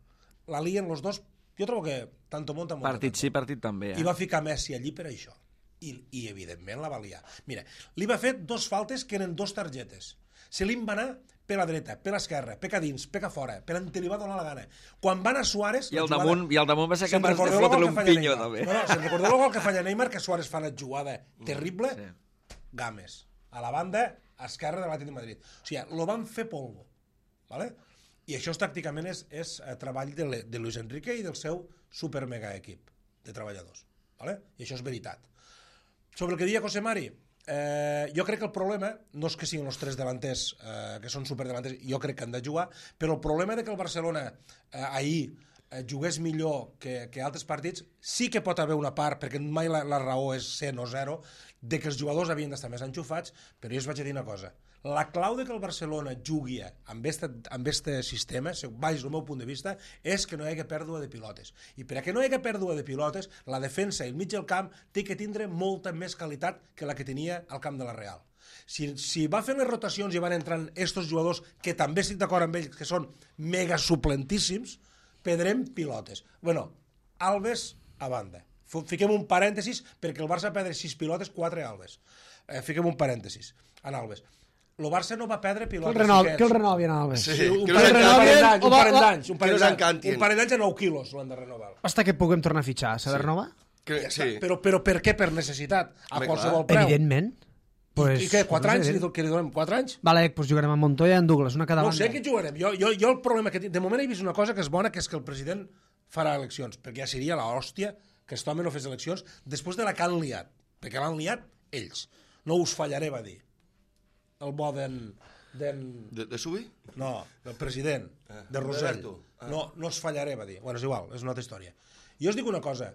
La lien los dos... Jo trobo que tanto monta... monta partit tanto. Sí, partit també. Eh? I va ficar Messi allí per això. I, i evidentment la valia. Mira, li va fer dos faltes que eren dos targetes. Se li va anar per la dreta, per l'esquerra, peca dins, peca fora, per on te li va donar la gana. Quan va anar Suárez... I el, damunt, i el damunt va ser capaç de fotre-li un pinyo, també. No, no, se'n recordeu el gol que falla Neymar, que Suárez fa una jugada terrible? Sí. Gámez, a la banda esquerra de l'Atlètic de Madrid. O sigui, lo van fer polvo. ¿Vale? I això tàcticament és, és treball de, de Luis Enrique i del seu super mega equip de treballadors. ¿Vale? I això és veritat. Sobre el que deia José Mari, Eh, jo crec que el problema no és que siguin els tres davanters eh, que són superdelanters, jo crec que han de jugar, però el problema de que el Barcelona eh, ahir eh, jugués millor que, que altres partits, sí que pot haver una part, perquè mai la, la raó és cent o zero, de que els jugadors havien d'estar més enxufats, però jo us vaig a dir una cosa. La clau de que el Barcelona jugui amb este, amb este sistema, baix el meu punt de vista, és que no hi hagi pèrdua de pilotes. I per a que no hi hagi pèrdua de pilotes, la defensa i el mig del camp té que tindre molta més qualitat que la que tenia al camp de la Real. Si, si va fent les rotacions i van entrant estos jugadors, que també estic d'acord amb ells, que són mega suplentíssims, perdrem pilotes. Bueno, Alves a banda. Fiquem un parèntesis perquè el Barça perdre sis pilotes, quatre Alves. Eh, fiquem un parèntesis en Alves. El Barça no va perdre pilotes. Que el, renov, que el renovien, Alves. Sí, un parell d'anys, un parell d'anys, un parell d'anys, un parell d'anys a nou quilos l'han de renovar. Hasta que puguem tornar a fitxar, s'ha de renovar? Que, sí. Però, però per què? Per necessitat, a Home, qualsevol preu. Evidentment. Pues, I què, quatre anys? Que li donem quatre anys? Vale, doncs jugarem amb Montoya i amb Douglas, una cada no banda. No sé què jugarem. Jo, jo, jo el problema que tinc... De moment he vist una cosa que és bona, que és que el president farà eleccions, perquè ja seria l'hòstia que aquest home no fes eleccions després de la que han liat, perquè l'han liat ells. No us fallaré, va dir. El bo d'en... De, de Subi? No, del president, ah, de Rosell. Ah. No, no us fallaré, va dir. Bueno, és igual, és una altra història. Jo us dic una cosa,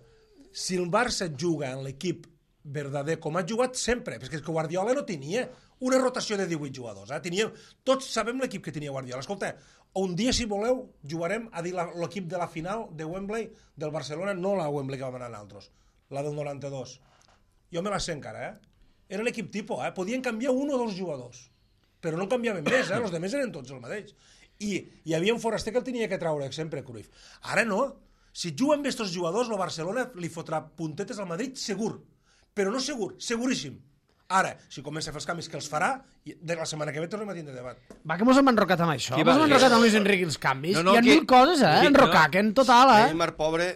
si el Barça juga en l'equip verdader, com ha jugat sempre, perquè és que Guardiola no tenia una rotació de divuit jugadors, eh? Tenia, tots sabem l'equip que tenia Guardiola. Escolta, un dia, si voleu, jugarem a dir l'equip de la final de Wembley del Barcelona, no la Wembley que vam anar nosaltres, la del noranta-dos. Jo me la sé encara, eh? Era l'equip tipus, eh? Podien canviar un o dos jugadors, però no canviaven més, eh? Els altres eren tots el mateix. I hi havia un foraster que el tenia que treure sempre, Cruyff. Ara no. Si juguen amb aquests jugadors, el Barcelona li fotrà puntetes al Madrid segur. Però no segur, seguríssim. Ara, si comença a fer els canvis que els farà, de la setmana que ve tornem a tindre debat. Va, que mos hem enrocat amb això. Qui Mos va- hem enrocat amb Luis Enrique els canvis. No, no, Hi ha qui- mil coses, eh? qui- Enrocar, que en total, eh? Neymar, pobre,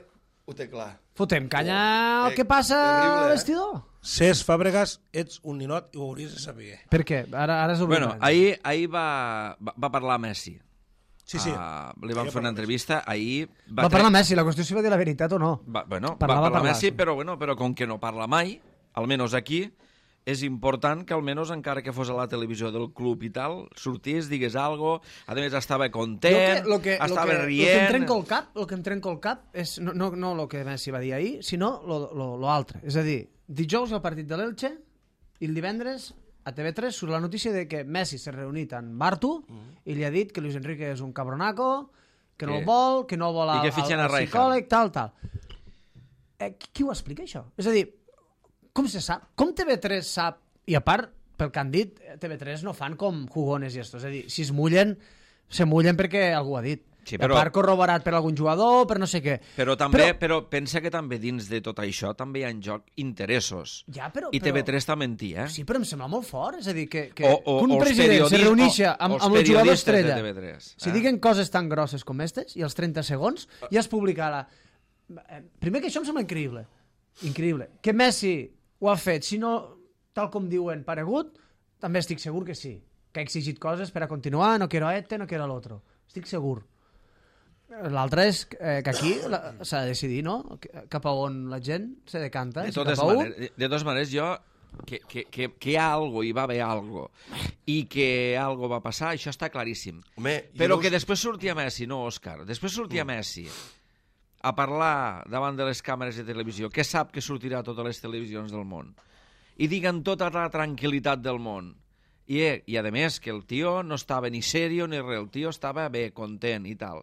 ho té clar. Fotem canya Oh, al que passa terrible, al eh? vestidor. Cés Fàbregas, ets un ninot i ho hauries de saber. Per què? Ara, ara és Bueno, obligat. ahir, ahir va, va, va parlar Messi. Sí, sí. Uh, li van Ahir fer una parla entrevista, ahir... Va, va parlar Messi, la qüestió és si va dir la veritat o no. Va, bueno, Parlava, va parlar parlava, Messi, sí. però, bueno, però com que no parla mai, almenys aquí, és important que almenys, encara que fos a la televisió del club i tal, sortís, digués algo, a més estava content, lo que, estava lo que, rient... Lo que em trenco el cap, el que em trenco el cap és no, no, no el que Messi va dir ahir, sinó lo, lo, lo altre. És a dir, dijous el partit de l'Elche i el divendres a T V tres surt la notícia de que Messi s'ha reunit amb Bartu mm. i li ha dit que Luis Enrique és un cabronaco, que no Sí. el vol, que no vol I al, que fitxen al, a al Rijkaard. psicòleg, tal, tal. Eh, qui, qui ho explica, això? És a dir, com se sap? Com T V tres sap? I a part, pel que han dit, T V tres no fan com jugones i esto. És a dir, si es mullen, se mullen perquè algú ha dit. Sí, I però- a part corroborat per algun jugador, per no sé què. Però també, Però- però, pensa que també dins de tot això també hi ha en joc interessos. Ja, però- I però- T V tres també en té, eh? Sí, però em sembla molt fort. És a dir, que, que, O- o- que un o els president se periodistes- reunixa o- amb, els amb el jugador periodistes de estrella. T V tres, Si eh? diguen coses tan grosses com aquestes, i als trenta segons, ja es publicarà. Eh, Primer que això em sembla increïble. Increïble. Que Messi ho ha fet, si no, tal com diuen, paregut, també estic segur que sí. Que ha exigit coses per a continuar, no quiero a este, no quiero al otro. Estic segur. L'altre és eh, que aquí la- s'ha de decidir, no? Cap a on la gent se decanta. De si totes, cap a un- maneres, de, de totes maneres, jo... Que, que, que, que hi ha algo, hi va haver algo, i que algo va passar, això està claríssim. Home, Però jo- que després sortia Messi, no, Òscar, després sortia Messi a parlar davant de les càmeres de televisió, que sap que sortirà a totes les televisions del món, i diguen tota la tranquil·litat del món. I, eh, i a més, que el tio no estava ni serio ni res, el tio estava bé, content i tal.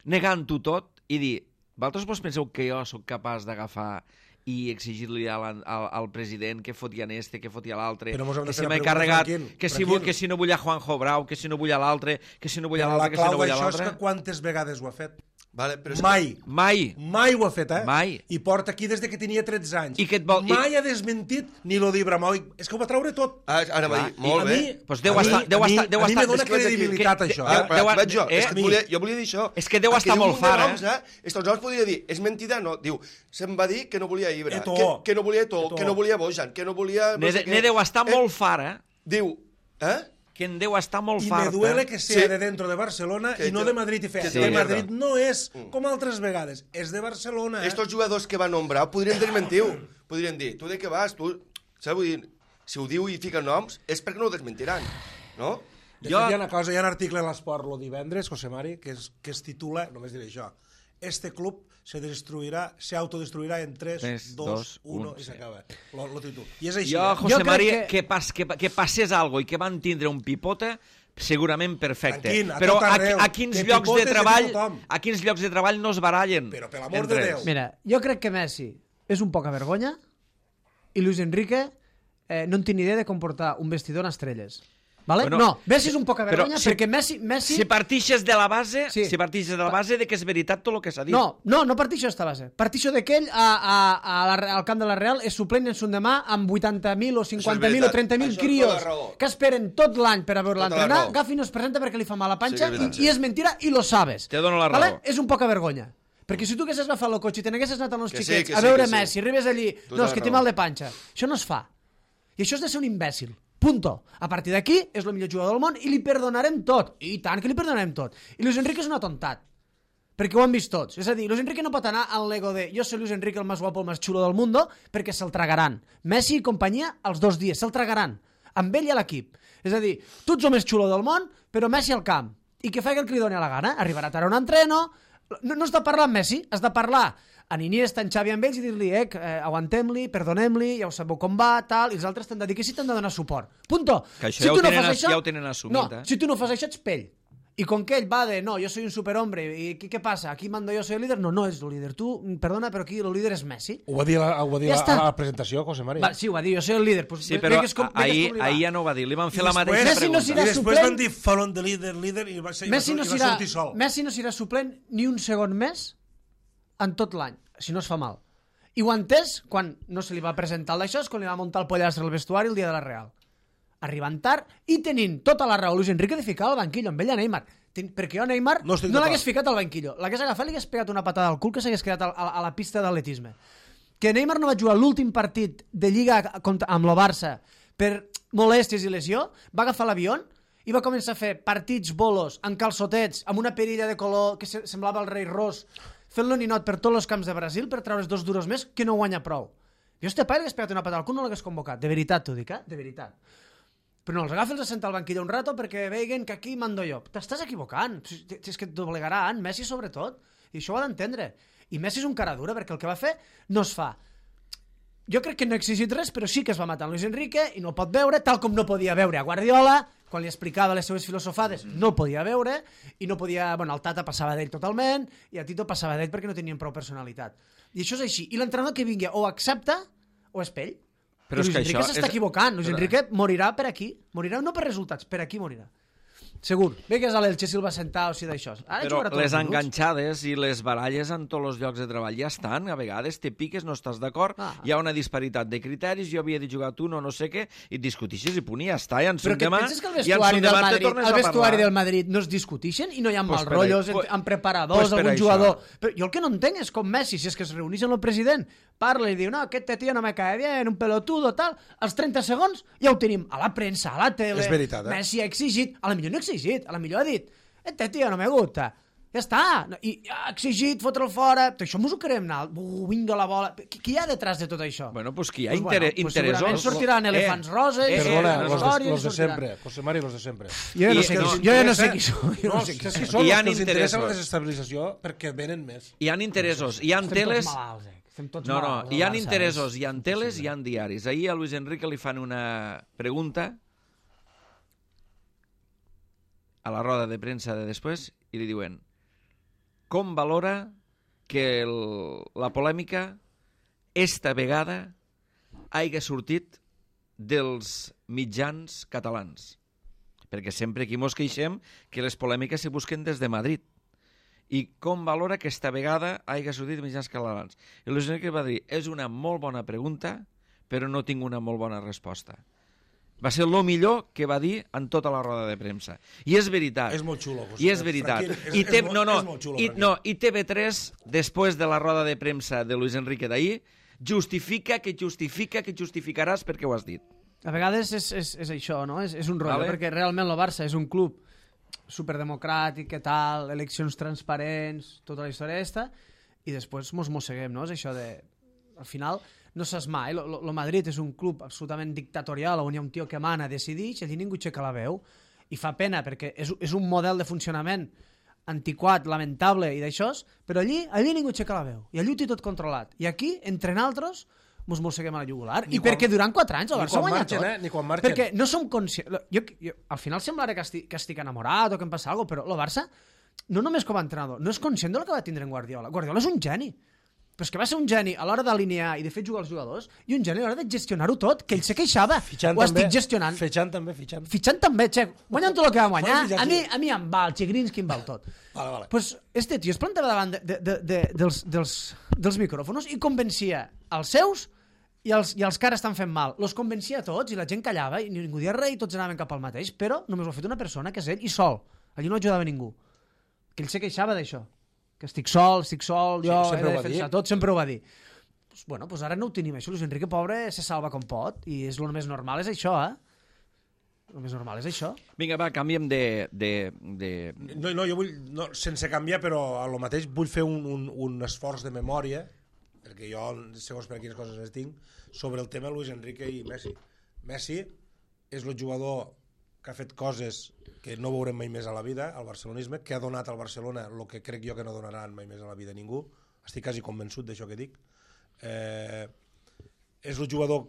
Negant-ho tot i dir, vosaltres vos penseu que jo sóc capaç d'agafar i exigir-li al, al, al president que fotia este, que fotia l'altre, Però mos hem de que fer si la m'he pregunta carregat, tranquil, que si, tranquil. vull, que si no vull a Juanjo Brau, que si no vull a l'altre, que si no vull a Però la l'altre, que si clau no vull a d'això és l'altre... que quantes vegades ho ha fet? Vale, però és Mai. Mai. Mai ho ha fet, eh? Mai. I porta aquí des de que tenia tretze anys. I que et vol- Mai i- ha desmentit ni lo d'Ibrahimovic. És que ho va treure tot. Ah, ara va dir, molt a bé. mi, Pues deu a mi- estar- deu a mi- estar- deu a mi estar- me dona és que vaig aquí, credibilitat, que- això. que- eh? Ah, deu- vaig jo, eh, és que volia, jo volia dir això. És que deu Aquí estar diu molt un de fart, noms, eh? Estos noms podria dir, és mentida, no. Diu, se'm va dir que no volia Ibra, Eto. que, que no volia Eto, Eto. que no volia Bojan, que no volia... No Ne, sé ne què. deu estar Eh, molt fart, eh? Diu, eh? Que en deu estar molt I fart. me duele eh? que sea Sí. de dentro de Barcelona Que i no te- de Madrid i que fer. te De mierda. Madrid no és com altres vegades, és de Barcelona. Eh? Estos jugadors que va nombrar podrien desmentir-ho. Podrien dir, tu de què vas? Tu... Saps? Vull dir, si ho diu i fica noms, és perquè no ho desmentiran, no? De jo... fet, hi ha una cosa, hi ha un article a l'Esport lo divendres, José Mari, que es, que es titula, només diré això, este club se destruirà, se autodestruirà en tres, dos, uno, i s'acaba. Lo, lo títol. I és així. Jo, eh? José Jo Mari, que... que, pas, que, que passés algo i que van tindre un pipote, segurament perfecte. Tranquil, a però tot arreu. a, a, quins De llocs de pipotes treball, de tothom. a quins llocs de treball no es barallen? Però per l'amor entre de ells? Déu. Mira, jo crec que Messi és un poca vergonya i Luis Enrique eh, no en tinc idea de comportar un vestidor en estrelles. Vale? Bueno, no, Messi és un poca vergonya si, perquè Messi... Messi... Si partixes de la base, Sí. si partixes de la base de que és veritat tot el que s'ha dit. No, no, no partixo d'esta base. Partixo de que ell a, a, a la, al camp de la Real és suplent en son demà amb vuitanta mil o cinquanta mil o veritat. trenta mil Això és crios tota la raó. que esperen tot l'any per a veure Tota la l'entrenar. raó. Gafi no es presenta perquè li fa mal a la panxa Sí que és veritat, i, sí. i és mentira i lo sabes. Te dono la Vale? raó. És un poca vergonya. Perquè si tu haguessis agafat el cotxe i te n'haguessis anat amb els Que sí, xiquets que a sí, veure que sí. Messi, arribes allí, Tota no, és la que té raó. mal de panxa. Això no es fa. I això és de ser un imbècil. Punto. A partir d'aquí és el millor jugador del món i li perdonarem tot. I tant que li perdonarem tot. I Luis Enrique és un atontat. Perquè ho han vist tots. És a dir, Luis Enrique no pot anar al l'ego de jo soy Luis Enrique el más guapo, el más chulo del mundo, perquè se'l tragaran. Messi i companyia els dos dies, se'l tragaran. Amb ell i a l'equip. És a dir, tu ets el més xulo del món, però Messi al camp. I que faci el que li doni a la gana. Arribarà tard a un entreno. No, no has de parlar amb Messi, has de parlar en Iniesta, en Xavi amb ells i dir-li, eh, eh aguantem-li, perdonem-li, ja ho sabeu com va, tal, i els altres t'han de dir que sí t'han de donar suport. Punto. Que això ja ho tu no tenen fas as- ja ho tenen assumit, no, eh? si tu no fas això ets pell. I com que ell va de, no, yo soy un superhombre, i què, què passa? Aquí mando yo, soy el líder. No, no és el líder. Tu, perdona, però aquí el líder és Messi. Ho va dir, la, ho va dir Ja la, està. a la presentació, José Mari. Va, sí, ho va dir, jo soy el líder. Pues, Sí, ve- però ve que és com- ve que és ahir, com li va. ahir ja no ho va dir. Li van fer I la després- mateixa Messi no pregunta. serà I després suplent. van dir falon de líder, líder, i va, ser, Messi i no, va, i va serà, sortir sol. Messi no serà suplent ni un segon més en tot l'any, si no es fa mal. I ho ha entès quan no se li va presentar el d'això, és quan li va muntar el pollastre al vestuari el dia de la Real. Arribant tard i tenint tota la raó Luis Enrique de ficar al banquillo amb ell a Neymar. Ten, perquè jo a Neymar No no, estic no d'acord. l'hagués ficat al banquillo. L'hagués agafat i li hagués pegat una patada al cul que s'hagués quedat a, a, a la pista d'atletisme. Que Neymar no va jugar l'últim partit de Lliga contra, amb el Barça per molèsties i lesió, va agafar l'avió i va començar a fer partits bolos en calçotets, amb una perilla de color que se, semblava el rei Ros, fent-lo ninot per tots els camps de Brasil per treure's dos duros més que no guanya prou. Jo este pai l'hagués pegat una patada al cul, no l'hagués convocat. De veritat t'ho dic, eh? De veritat. Però no, els agafa i els assenta al banquillo un rato perquè veiguen que aquí mando jo. T'estàs equivocant. Si si és que et doblegaran, Messi sobretot. I això ho ha d'entendre. I Messi és un cara dura perquè el que va fer no es fa. Jo crec que no ha exigit res, però sí que es va matar en Luis Enrique i no el pot veure, tal com no podia veure a Guardiola, quan li explicava les seues filosofades, no el podia veure, i no podia... Bueno, el Tata passava d'ell totalment, i a Tito passava d'ell perquè no tenien prou personalitat. I això és així. I l'entrenador que vingui o accepta o és pell. Però I és Luis que Enrique això s'està és- equivocant. Luis Enrique morirà per aquí. Morirà no per resultats, per aquí morirà. Segur. Ve que és a l'Elche si el va sentar o si d'això. Ara Però jugarà tots les els minuts. enganxades i les baralles en tots els llocs de treball ja estan. A vegades te piques, no estàs d'acord, Ah. hi ha una disparitat de criteris, jo havia de jugar tu, no, no sé què, i et discutixes i punt, i ja està. I en Però son que et demà, penses que el i en son vestuari del demà te Madrid, tornes el a vestuari parlar. del Madrid no es discutixen i no hi ha Pues mals per rotllos ahí- en- amb preparadors, pues per algun això. jugador... Però jo el que no entenc és com Messi, si és que es reuneix amb el president, parla i diu, no, aquest tio no me cae bien, un pelotudo, tal, als trenta segons ja ho tenim a la premsa, a la tele, És veritat, eh? Messi ha exigit, a la millor no ha exigit, a la millor ha dit, este tio no me gusta, ja està, No, i ha exigit fotre'l fora, això mos ho querem anar, uh, vinga la bola, qui, qui hi ha detrás de tot això? Bueno, pues que hi ha Pues inter bueno, pues interessos. segurament sortiran elefants roses, eh, Perdona, eh, los, no, de, los de sortiran. sempre. José Mari, los de sempre. Jo ja no I- sé, no, qui, jo ja no sé interessa- qui són, jo No, no sé qui és són. que són Hi els han que els interessa la interessos. desestabilització perquè venen més. Hi ha interessos, hi ha Estem teles... tots malalts, eh? Estem tots No, no, malalts, hi ha al Barça, interessos, és hi ha teles, impossible. hi ha diaris. Ahir a Luis Enrique li fan una pregunta a la roda de premsa de després i li diuen com valora que el, la polèmica esta vegada hagi sortit dels mitjans catalans? Perquè sempre aquí mos queixem que les polèmiques se busquen des de Madrid. I com valora que esta vegada hagi sortit dels mitjans catalans? I Luis Enrique va dir, és una molt bona pregunta, però no tinc una molt bona resposta. Va ser el millor que va dir en tota la roda de premsa. I és veritat. És molt xulo, José. I és veritat. Franquín, és- I, és te, molt- no, no, és molt xulo, i, Franquín. no, I T V tres, després de la roda de premsa de Luis Enrique d'ahir, justifica que justifica que justificaràs perquè ho has dit. A vegades és, és, és això, no? És, és un rotllo, Vale. perquè realment el Barça és un club superdemocràtic, que tal, eleccions transparents, tota la història aquesta, i després mos mosseguem, no? És això de... Al final, no saps mai, el Madrid és un club absolutament dictatorial on hi ha un tio que mana, decideix, i allí ningú aixeca la veu, i fa pena perquè és, és un model de funcionament antiquat, lamentable i d'això, però allí, allí ningú aixeca la veu, i allí ho té tot controlat, i aquí, entre naltros, mos mosseguem a la jugular, i quan, perquè durant quatre anys el Barça guanya marxen, tot, eh? Ni quan marxen. perquè no som conscients, jo, jo, al final semblarà que estic, que estic enamorat o que em passa alguna cosa, però el Barça, no només com a entrenador, no és conscient del que va tindre en Guardiola, Guardiola és un geni, però és que va ser un geni a l'hora d'alinear i de fer jugar els jugadors i un geni a l'hora de gestionar-ho tot, que ell se queixava, fitxant ho també, estic gestionant. Fitxant també, fitxant. Fitxant també, xec, guanyant tot el que va guanyar, a mi, a mi em val, Chigrinsky em val tot. Vale, vale. Pues este tio es plantava davant de, de, de, de, dels, dels, dels micròfons i convencia els seus i els, i els que ara estan fent mal. Los convencia a tots i la gent callava i ningú dia res i tots anaven cap al mateix, però només ho ha fet una persona, que és ell, i sol. Allí no ajudava ningú. Que ell se queixava d'això. Que estic sol, estic sol, jo sí, he de defensar tot, sempre ho va dir. Pues, bueno, pues ara no ho tenim, això. Luis Enrique, pobre, se salva com pot, i és el més normal és això, eh? El més normal és això. Vinga, va, canviem de... de, de... No, no, jo vull, no, sense canviar, però a lo mateix vull fer un, un, un esforç de memòria, perquè jo, segons per quines coses les tinc, sobre el tema Luis Enrique i Messi. Messi és el jugador que ha fet coses que no veurem mai més a la vida, al barcelonisme, que ha donat al Barcelona el que crec jo que no donaran mai més a la vida a ningú. Estic quasi convençut d'això que dic. Eh, és el jugador,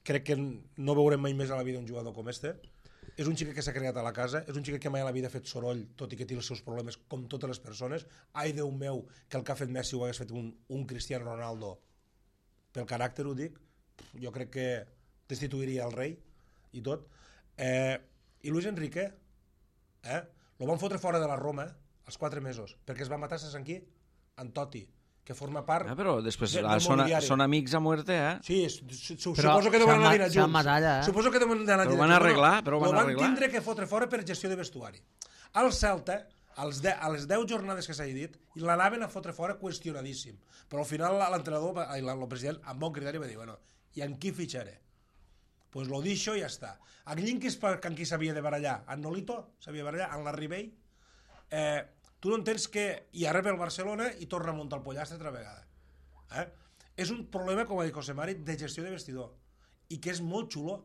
crec que no veurem mai més a la vida un jugador com este. És un xiquet que s'ha creat a la casa, és un xiquet que mai a la vida ha fet soroll, tot i que té els seus problemes com totes les persones. Ai, Déu meu, que el que ha fet Messi ho hagués fet un, un Cristiano Ronaldo. Pel caràcter ho dic, jo crec que destituiria el rei i tot. Eh, I Luis Enrique, eh, lo van fotre fora de la Roma als quatre mesos, perquè es va matar, saps en qui? En Totti, que forma part... Ah, però després de, ah, són, són amics a muerte, eh? Sí, su, su, Però suposo que deuen anar a dinar junts. Matalla, eh? Suposo que deuen anar a dinar junts. Però van arreglar, però van arreglar. Lo van arreglar. tindre que fotre fora per gestió de vestuari. Al Celta, als de, a les deu jornades que s'ha dit, l'anaven a fotre fora qüestionadíssim. Però al final l'entrenador, el president, amb bon criteri va dir, bueno, i en qui fitxaré? Pues lo deixo i ja està. Aquell que és per amb qui s'havia de barallar, en Nolito s'havia de barallar, en Larry Bay, eh, tu no entens que hi ha rep el Barcelona i torna a muntar el pollastre altra vegada. Eh? És un problema, com ha dit José Mari, de gestió de vestidor, i que és molt xulo,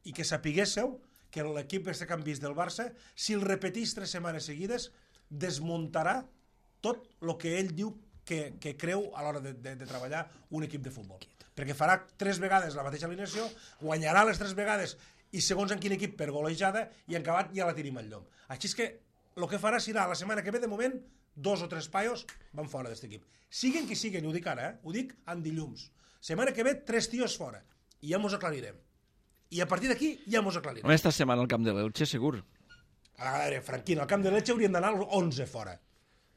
i que sapiguésseu que l'equip este que han vist del Barça, si el repetís tres setmanes seguides, desmuntarà tot el que ell diu que, que creu a l'hora de, de, de treballar un equip de futbol. Perquè farà tres vegades la mateixa alineació, guanyarà les tres vegades i segons en quin equip per golejada, i en acabat ja la tenim al llom. Així és que el que farà serà la setmana que ve, de moment, dos o tres paios van fora d'aquest equip. Siguen qui siguen, i ho dic ara, eh? Ho dic en dilluns. Setmana que ve, tres tios fora. I ja mos aclarirem. I a partir d'aquí ja mos aclarirem. Home, esta setmana al camp de l'Elche, segur. A veure, Franquino, al camp de l'Elche haurien d'anar onze fora.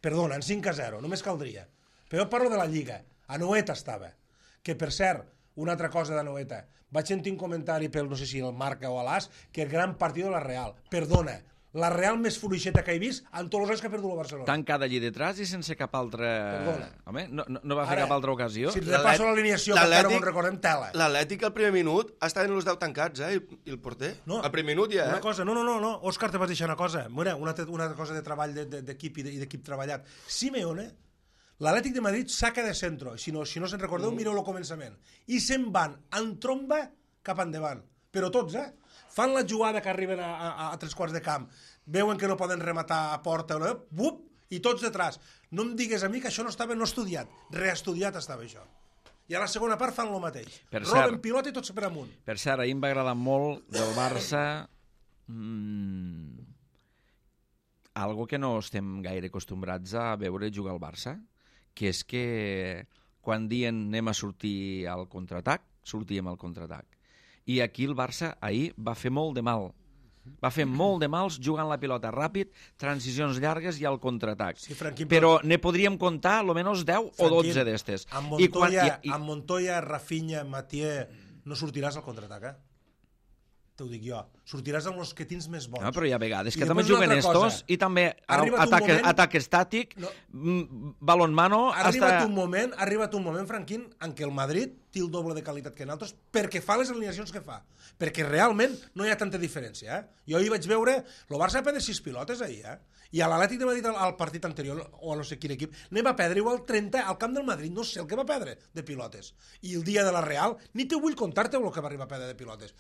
Perdona, en cinc a zero, només caldria. Però jo parlo de la Lliga. A Noeta estava. Que, per cert, una altra cosa de Noeta, vaig sentir un comentari pel, no sé si el Marca o a l'As, que el gran partit de la Real. Perdona, la Real més fluixeta que he vist en tots els anys que ha perdut el Barcelona. Tancada allí detrás i sense cap altra... Perdona. Home, no, no, no va fer Ara, cap altra ocasió? Si repasso l'alineació, que encara no en recordem, tela. L'Atlètic al primer minut està en els deu tancats, eh, i, i el porter. No, al primer minut ja, eh? Una cosa, no, no, no, no. Òscar, te vas deixar una cosa. Mira, una, una cosa de treball d'equip i d'equip treballat. Simeone, l'Atlètic de Madrid saca de centro, si no, si no se'n recordeu, mm. mireu el començament, i se'n van en tromba cap endavant, però tots, eh? Fan la jugada que arriben a, a, a tres quarts de camp, veuen que no poden rematar a porta, no? Bup, i tots detrás. No em digues a mi que això no estava no estudiat, reestudiat estava això. I a la segona part fan el mateix. Per Roben cert, pilota i tots per amunt. Per cert, ahir em va agradar molt del Barça mmm, algo que no estem gaire acostumbrats a veure jugar al Barça, que és que quan dien anem a sortir al contraatac, sortíem al contraatac. I aquí el Barça ahir va fer molt de mal. Va fer molt de mals jugant la pilota ràpid, transicions llargues i al contraatac. Sí, Franquín, però ne podríem comptar almenys deu Franquín, o dotze d'estes. Amb Montoya, I quan, i, i... amb Montoya, Rafinha, Mathieu, no sortiràs al contraatac, eh? t'ho dic jo, sortiràs amb els que tens més bons. No, però hi ha vegades I que també després una juguen altra estos cosa. i també Arriba't un atac, moment- atac estàtic, No. mm, balon mano... Ha arribat hasta... un moment, ha arribat un moment, Franquín, en què el Madrid té el doble de qualitat que nosaltres perquè fa les alineacions que fa. Perquè realment no hi ha tanta diferència. Eh? Jo ahir vaig veure... El Barça va perdre sis pilotes ahir, eh? I a l'Atlètic de Madrid, al, al partit anterior, o a no sé quin equip, ne va perdre igual trenta al camp del Madrid. No sé el que va perdre de pilotes. I el dia de la Real, ni te vull contar-te el que va arribar a perdre de pilotes.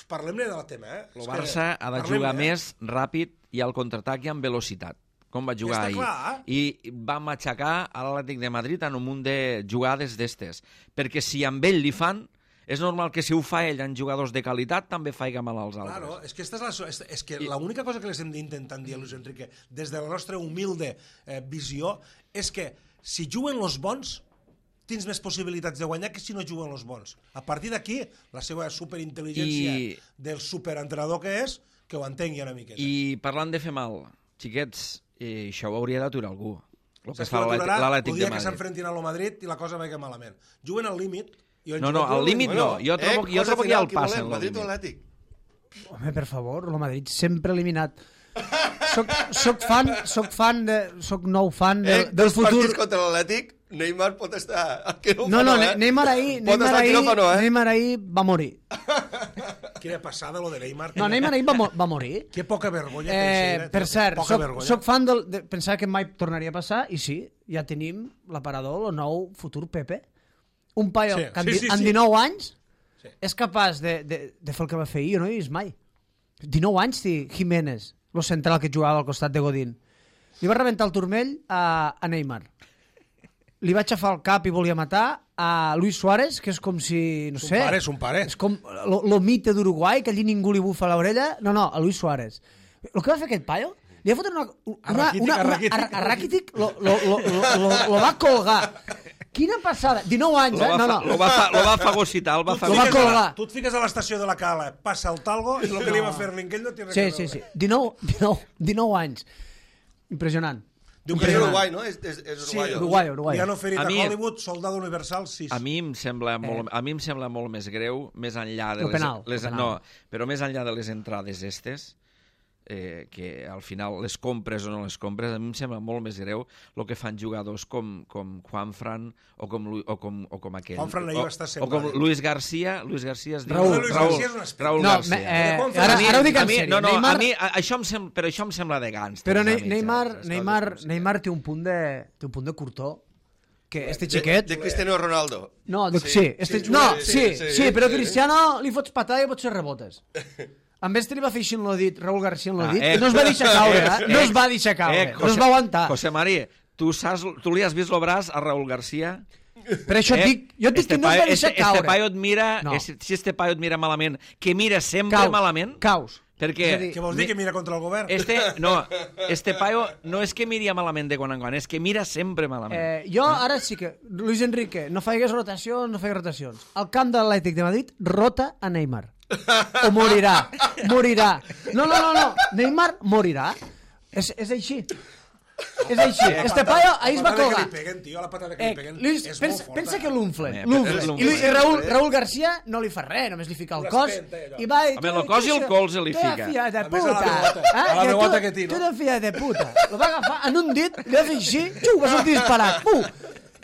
Parlem-ne del tema, eh? El És Barça que ha de parlem-ne, jugar eh? més ràpid i al contraatac i amb velocitat, com va jugar Està ahir. clar. I va matxacar a l'Atlètic de Madrid en un munt de jugades d'estes. Perquè si amb ell li fan, és normal que si ho fa ell en jugadors de qualitat també faiga mal als altres. Claro, és que, esta és la, és, és que l'única cosa que les hem d'intentar dir a Luis Enrique des de la nostra humilde eh, visió és que si juguen els bons tens més possibilitats de guanyar que si no juguen els bons. A partir d'aquí, la seva superintel·ligència I- del superentrenador que és, que ho entengui una miqueta. I parlant de fer mal, xiquets, eh, això ho hauria d'aturar algú. El que Saps fa qui l'Atlètic l'aturarà? l'Atlètic El de dia que Madrid. s'enfrentin a lo Madrid i la cosa vagi malament. Juguen al límit. i han No, no, jugat al molt límit bé. no. Jo trobo, jo trobo que hi ha el pas passe en el Madrid o límit. Atlètic? Home, per favor, el Madrid sempre eliminat. Soc, soc fan, soc fan de, soc nou fan de, Eh, del dos futur. partits contra l'Atlètic, Neymar pot estar... al No, no, quiròfano, Ne- eh? Neymar ahir, Pot Neymar estar al ahir, quiròfano, eh? Neymar ahir va morir. Quina passada, lo de Neymar. No, Neymar ahir va, mo va morir. Que poca vergonya. Eh, Teixeira, per tio, cert, poca soc, vergonya. soc fan del, de pensar que mai tornaria a passar, i sí, ja tenim l'aparador, el nou futur Pepe. Un paio Sí, que amb, sí, di- sí, amb sí. dinou anys Sí. és capaç de, de, de fer el que va fer ahir, jo no he vist mai. dinou anys té Jiménez, el central que jugava al costat de Godín. Li va rebentar el turmell a, a Neymar. Li va aixafar el cap i volia matar a Luis Suárez, que és com si, no És un sé... pare, és un pare. És com lo, lo mite d'Uruguai, que allí ningú li bufa l'orella. No, no, a Luis Suárez. El que va fer aquest paio, li va fotre una... una, A una, Rakitic, una, a una Rakitic. a, a Rakitic lo, lo, lo, lo, lo, lo va colgar. Quina passada. dinou anys, Lo eh? va, No, fa, no. lo va, fa, lo va fagocitar, el va Tu et Lo va fiques fagocitar. a la- colgar. Tu et fiques a l'estació de la Cala, passa el talgo i el que li va fer l'Inquell no té res Sí, a sí, veure. sí. dinou, dinou, dinou anys. Impressionant. Diu que és Uruguai, no? És, és, és Sí, Uruguai. Uruguai, Uruguai. Li han oferit A a, mi- Hollywood, soldado universal, sis. A mi em sembla molt, a mi em sembla molt més greu, més enllà de El les, penal, les el penal. no, però més enllà de les entrades estes, eh, que al final les compres o no les compres, a mi em sembla molt més greu el que fan jugadors com, com Juanfran o com, Lu- o com, o com aquell. Juanfran ahir o, va estar o com semblant. Luis García, Luis García es diu... Raúl. Luis García és un espècie. Raúl No, García. me, eh, Juanfran- ara, a mi- ara ho dic a en mi, sèrio. no, no, Neymar, a mi a- això em sem, però això em sembla de gàngsters. però a ne mi, Neymar, saps? Les Neymar, coses com són. Neymar té un punt de, té un punt de curtó que este De, xiquet... de Cristiano Ronaldo. No, dic, Sí, sí, este, sí, no, sí, sí, sí, sí, sí, però sí. Cristiano li fots patada i potser rebotes. En este li va fer així en l'odit, Raúl García en l'odit, Ah, eh. i no es va deixar caure, eh? No es va deixar caure, Eh, no es va aguantar. José María, tu, saps, tu li has vist el braç a Raúl García? Per això et dic, jo et dic este que no es va paio- deixar este, caure. Este paio et mira, No. es, si este paio et mira malament, que mira sempre Caus, malament, caus. perquè... És a dir, Què vols dir, que mira contra el govern? Este, no, este paio no és que miria malament de quan en quan, és que mira sempre malament. Eh, jo ara sí que, Luis Enrique, no faigues rotacions, no faigues rotacions. Al camp de l'Atlètic de Madrid, rota a Neymar. O morirà, morirà. No, no, no, no, Neymar morirà. És, és així. És així. Este paio ahir es va La patada colgar. que li peguen, tio, la patada que Eh, li peguen Luis, és pensa, molt forta. pensa que l'unflen, Eh, l'unflen. és I, l'unflen. Luis- i Raúl, Raúl García no li fa res, només li fica el Ho cos espenta, allò. i va... Home, el cos i el colze li fica. Tu fia de A més, a la puta. bigota, eh? a la Que bigota tu- que tira. Tu de fia de puta. Lo va agafar en un dit, li va fer així, xiu, va sortir disparat. Puh!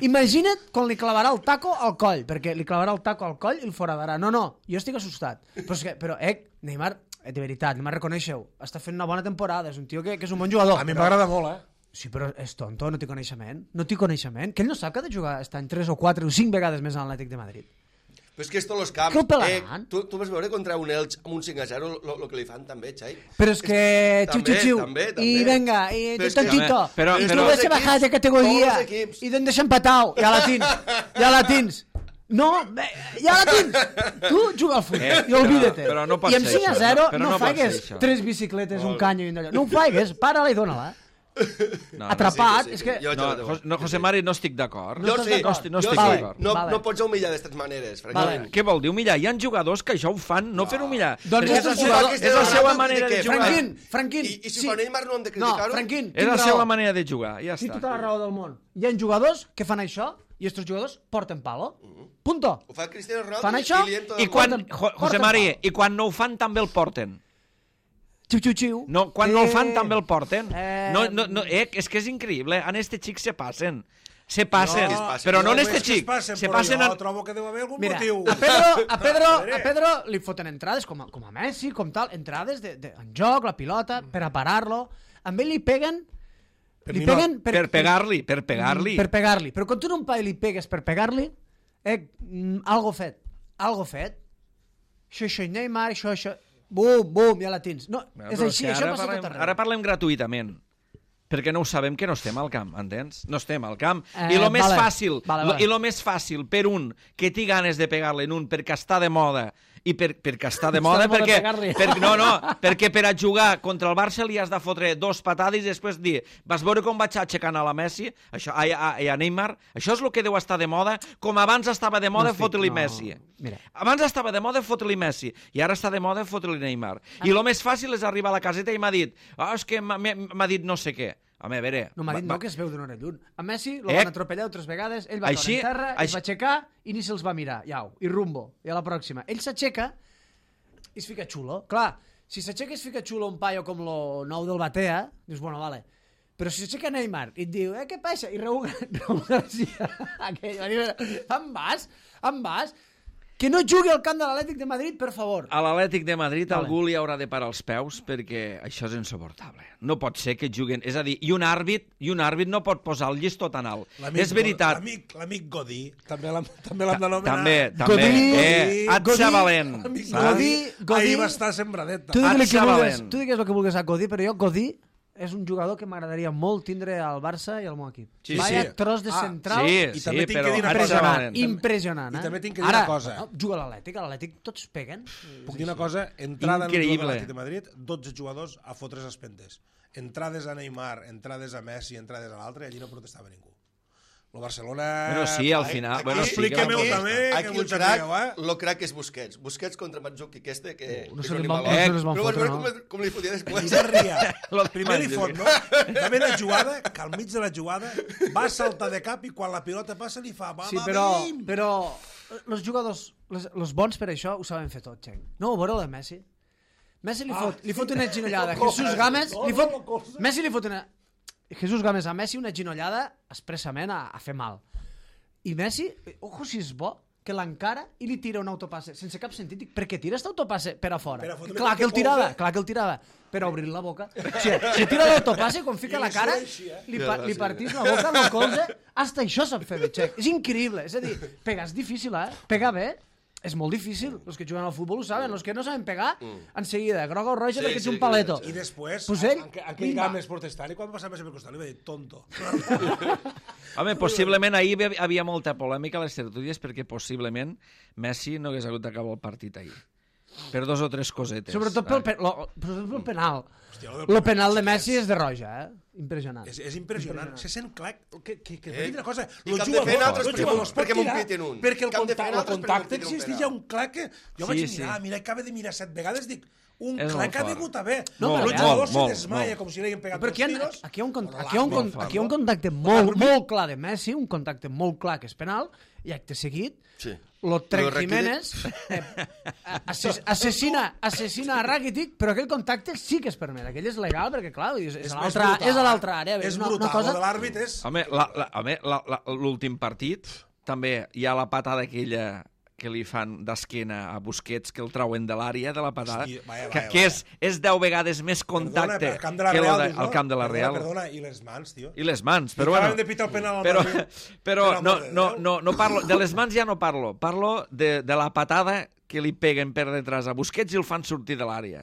Imagina't quan li clavarà el taco al coll, perquè li clavarà el taco al coll i el foradarà. No, no, jo estic assustat. Però, és que, però eh, Neymar, eh, de veritat, Neymar, reconeixeu, està fent una bona temporada, és un tio que, que és un bon jugador. A mi però- m'agrada molt, eh? Sí, però és tonto, no té coneixement. No té coneixement. Que ell no sap que ha de jugar aquest any tres o quatre o cinc vegades més a l'Atlètic de Madrid. Però és que esto los camps... Que el pelaran. tu, tu vas veure contra un Elx amb un cinc a zero el que li fan també, Xai? Però és que... Xiu, També, xiu, xiu. també, també. I venga, i Però és que- tonchito. Però- I però- tu Tots vas els a bajar de equips, categoria. tots els equips. I d'en deixar empatau. Ja la tens. Ja la tens. No, bé, ja la tens. Tu juga al futbol Eh, i olvídate. però- però no pot I amb ser cinc a això, zero no, però no, no pot faigues ser això. tres bicicletes, un canyo i un d'allò. No ho faigues, para-la i dóna-la. No, Atrapat, sí, sí, és sí. que... Jo- No, Jos- no, José Mari, no estic d'acord. Jo estàs sí, d'acord? No estic, no jo estic sí. d'acord. No, Vale. no pots humillar d'aquestes maneres, francament. Què vol dir humillar? Hi ha jugadors que això ho fan, no, fer humillar. Doncs és, que és, estos la seva, jugadors- és la seva manera de jugar. Franquín, Franquín. I, i si sí. fa Neymar no hem de No, criticar-ho? Franquín, És la tinc seva raó. manera de jugar, ja Tinc està. tota la raó del món. Hi ha jugadors que fan això i estos jugadors porten palo. Punto. Ho fa Cristiano Ronaldo Fan i això li entra I el quan, gol. jo, José Porten María, pal. i quan no ho fan també el porten. Xiu, xiu, xiu. No, quan no el fan també el porten. Eh, No, no, no, eh, és que és increïble. En este xic se passen. Se passen. No, però no en és este que es xic. passen, Se però passen jo en... trobo que deu haver algun Mira, motiu. a Pedro, a Pedro, Veure. a Pedro li foten entrades com a, com a Messi, com tal, entrades de, de, en joc, la pilota, per a parar-lo. Amb ell li peguen... Per li mi no. peguen Per pegar-li, per pegar-li. Per pegar-li. Però quan tu no un pa i li pegues per pegar-li, eh, mm, algo fet. Algo fet. Això, això, Neymar, això, això... Bum, bum, ja la tens. No, Bueno, és però així, que això ara passa parlem, tot arreu. Ara parlem gratuïtament. Perquè no ho sabem que no estem al camp, entens? No estem al camp. Eh, I lo més vale, fàcil, vale, lo- vale. i lo més fàcil per un que té ganes de pegar-li en un perquè està de moda i per, perquè està de Està moda, de moda perquè, pegar-li. per, no, no, perquè per a jugar contra el Barça li has de fotre dos patades i després dir, vas veure com vaig aixecant a la Messi, això, a, a, a Neymar, això és el que deu estar de moda, com abans estava de moda No estic- fotre-li no. Messi. Mira. Abans estava de moda fotre-li Messi i ara està de moda fotre-li Neymar. I el més fàcil és arribar a la caseta i m'ha dit, oh, és que m'ha m'ha dit no sé què. Home, a veure... No m'ha dit va- no, que es veu d'una hora lluny. A Messi lo Eh? van atropellar altres vegades, ell va Així- caure en terra, així- es va aixecar i ni se'ls va mirar. Iau, i rumbo, i a la pròxima. Ell s'aixeca i es fica xulo. Clar, si s'aixeca i es fica xulo un paio com lo nou del Batea, dius, bueno, vale. Però si s'aixeca Neymar i et diu, eh, què passa? I Raúl, Raúl García, aquell, va dir, em vas? Em vas? Que no jugui al camp de l'Atlètic de Madrid, per favor. A l'Atlètic de Madrid Vale. algú li haurà de parar els peus perquè això és insuportable. No pot ser que juguen... És a dir, i un àrbit, i un àrbit no pot posar el llistó tan alt. L'amic És veritat. L'amic l'amic Godí, també l'hem també l'hem d'anomenar. També, també. Godí, eh, Atxa valent. Amic saps? Godí, Godí- Ahir va estar sembradet. Tu digues, el que Atxa vulguis, valent. tu digues el que vulguis a Godí, però jo Godí és un jugador que m'agradaria molt tindre al Barça i al meu equip. Sí, Vaya sí. tros de Ah, central. Sí, I sí, també tinc però que dir una Atxa cosa. valent. Impressionant, I eh? també tinc que dir Ara, una cosa. no, juga a l'Atlètic, a l'Atlètic tots peguen. Puc dir una cosa? Entrada en el Increïble. jugador de l'Atlètic de Madrid, dotze jugadors a fotre's els pentes. Entrades a Neymar, entrades a Messi, entrades a l'altre, i allí no protestava ningú. El Barcelona... Bueno, sí, al final... Aquí- Bueno, sí que expliquem-ho la- també, que Aquí vull el crac, sapigueu, eh? lo crac és Busquets. Busquets contra Mandzukic este, que... No que se és li un van- animal. no se les van Però vas fotre, veure no? com, com li fotia I després. de ria. Lo de Primer li fot, Mandzukic. no? També la jugada, que al mig de la jugada va saltar de cap i quan la pilota passa li fa... Va, Sí, va, però, bim! però els jugadors, les, els bons per això ho saben fer tot, Xenc. No ho veureu de Messi? Messi li fot, li fot una ginollada. Jesús Gámez li fot... Messi li fot una... Jesús Gámez a Messi una ginollada expressament a, a fer mal. I Messi, ojo si és bo, que l'encara i li tira un autopasse sense cap sentit. Dic, per què tira aquest autopasse per a fora? Per a fotre Clar que el qualque tirava, pou, eh? clar que el tirava, per a obrir la boca. O sigui, si tira l'autopasse, quan fica I la li cara, surt així, eh? li, pa li partís la boca amb el colze, hasta això sap fer de xec. És increïble, és a dir, pegar és difícil, eh? Pegar bé és molt difícil. Els que juguen al futbol ho saben, els que no saben pegar, en seguida, groga o roja Sí, perquè ets sí, un paleto. I després, Pues ell, en, en aquell pimba. Gámez protestant, i quan passava Messi per costat li va dir tonto. Home, possiblement ahir hi havia molta polèmica a les tertúlies perquè possiblement Messi no hagués hagut d'acabar el partit ahir. Per dos o tres cosetes. Sobretot pel, pe lo, sobretot pel penal. Hòstia, lo del Lo penal, penal de sí, Messi és- és de roja, eh? Impressionant. És, és impressionant. Se sent clar que, que, que Eh? eh? una cosa. I Los que han de fer jugadors, altres los perquè jugadors m'ho- perquè pot m'ho tirar, piten un. perquè el, Que han de fer contacte, el altres perquè contacte m'ho piten un existeix, penal. hi ha un clar que... Jo Sí, vaig sí. mirar, mira, acaba de mirar set vegades, dic, un És clar molt que ha fort. vingut a ver. No, No, però el ja- jugador molt, se molt, desmaia molt. com si li haguin pegat Però aquí hi, dos ha, tiros. aquí, hi ha un, con- Però aquí, hi ha un, con- l'àrbit, aquí hi ha un no? contacte molt, molt clar de Messi, un contacte molt clar que és penal, i acte seguit, Sí. lo Trek Lo Rakitic. Jiménez eh, assass assassina, assassina a Rakitic, però aquell contacte sí que es permet, aquell és legal, perquè clar, és, és, És a més l'altra brutal, és a l'altra àrea. És una, brutal, una cosa... lo de l'àrbit és... Home, la- la- home, la- la- l'últim partit també hi ha la patada aquella que li fan d'esquena a Busquets, que el trauen de l'àrea de la patada, Hosti, vaya, que, vaya, que vaya. és, és deu vegades més contacte Perdona, al camp de la que lo Real, de, dius, no? al camp de la Perdona, Real. Perdona, i les mans, tio. I les mans, I però acaben bueno... de pitar el penal al Però, Madrid. però Per no, amor de no, Déu. no, no parlo, de les mans ja no parlo, parlo de, de la patada que li peguen per detrás a Busquets i el fan sortir de l'àrea.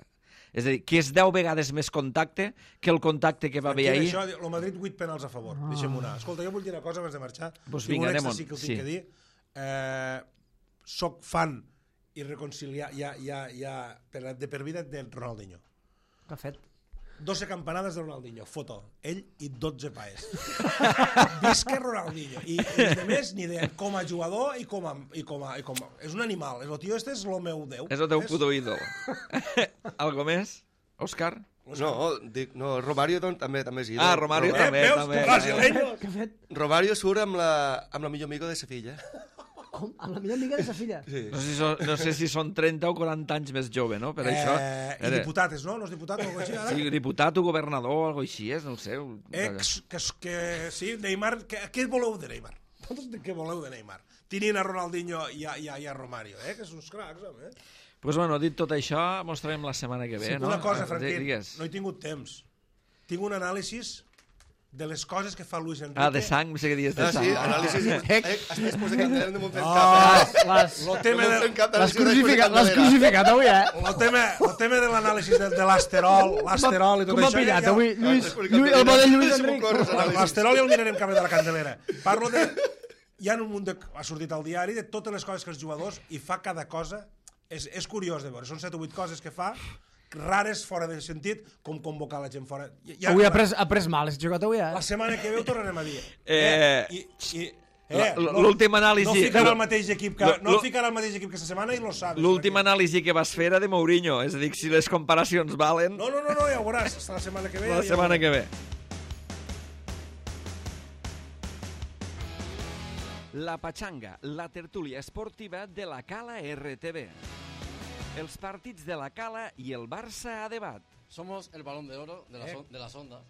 És a dir, que és deu vegades més contacte que el contacte que va haver Aquí, ahir. Això, el Madrid vuit penals a favor. Ah. Deixa'm una. Escolta, jo vull dir una cosa abans de marxar. Pues Tinc vinga, un extra anem-on. sí que ho tinc Sí. que dir. Eh, soc fan i reconciliar ja, ja, ja per, de per vida de Ronaldinho. Què ha fet? doze campanades de Ronaldinho, foto. Ell i dotze paes. Visca Ronaldinho. I, i de més, ni de com a jugador i com a, i com a, i com a... És un animal. El tio este és el meu déu. És el teu puto ídol. Algo més, Òscar? No, dic, no, Romario doncs, també també és ídol. Ah, Romario Romario. també, Eh, veus? també. Brasileño. Què ha fet? Romario surt amb la, amb la millor amiga de Sevilla. Com? Amb la millor amiga de sa filla? Sí. No sé, si són, no sé si són trenta o quaranta anys més jove, no? Per això... Eh, I Era- diputat és, no? No és diputat o alguna cosa així, ara? Sí, diputat o governador o alguna així és, no ho sé. Ex, que, que sí, Neymar, que, què voleu de Neymar? Vosaltres de què voleu de Neymar? Tinint a Ronaldinho i a, i a, i a Romario, eh? Que són uns cracs, home. Eh? Pues bueno, dit tot això, mostrarem la setmana que ve, Sí, no? una cosa, Ah, Franquín, digues. no he tingut temps. Tinc un anàlisi de les coses que fa Luis Enrique. Ah, de sang, no sé què dies de Ah, sang. sí, anàlisis... Eh, estàs després de Candelera no m'ho fem Oh, cap, eh? Les, Lo tema, No m'ho de, fem cap les d'anàlisis després de crucificat, les Candelera. crucificat avui, eh? lo tema, lo tema de l'anàlisi de, de l'asterol, l'asterol i tot Com m'ha això... pillat ja, avui, ja, Lluís, després de Lluís, el bo de Lluís Candelera, Enric. si m'ho corres, anàlisis. L'asterol ja el mirarem cap de la Candelera. Parlo de... Hi ha un munt de... Ha sortit al diari de totes les coses que els jugadors i fa cada cosa. És, és curiós de veure. Són set o vuit coses que fa, rares, fora de sentit, com convocar la gent fora. Ja, Avui ha pres, ha pres mal, has jugat avui, eh? La setmana que ve ho tornarem a dir. Eh, I, i, la- eh, no- l'últim anàlisi- No ficarà el mateix equip que, Lo- no lo- ficarà el mateix equip que aquesta setmana i lo sabes. L'última Franquín. anàlisi que vas fer era de Mourinho, és a dir, si les comparacions valen, No, no, no, no, ja ho veuràs. La setmana que ve... la ja setmana ho que ve. La Pachanga, la tertúlia esportiva de la Cala R T V. Els partits de la Cala i el Barça a debat. Somos el balón de oro de, la Eh. son- de las ondas.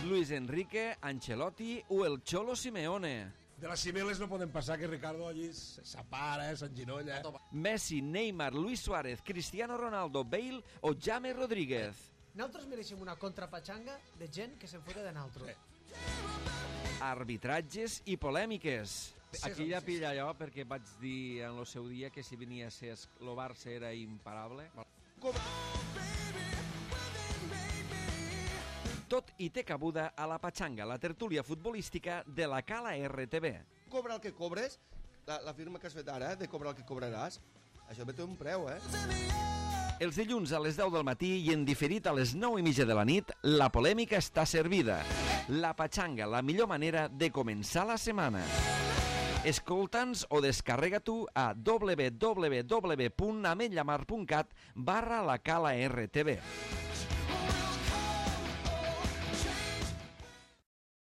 Luis Enrique, Ancelotti o el Cholo Simeone. De les Cibeles no poden passar que Ricardo allí s'apara, s'enginolla. Messi, Neymar, Luis Suárez, Cristiano Ronaldo, Bale o James Rodríguez. Nosaltres mereixem una contrapatxanga de gent que se'n fora de nosaltres. Arbitratges i polèmiques. Aquí ja pilla allò perquè vaig dir en el seu dia que si venia a ser el Barça era imparable. Tot i té cabuda a la Pachanga, la tertúlia futbolística de la Cala R T V. Cobra el que cobres, la, la firma que has fet ara, de cobrar el que cobraràs, això té un preu, eh? Els dilluns a les deu del matí i en diferit a les nou i mitja de la nit, la polèmica està servida. La Pachanga, la millor manera de començar la setmana. Escolta'ns o descarrega tu a w w w punt ametllamar punt cat barra la Cala R T V.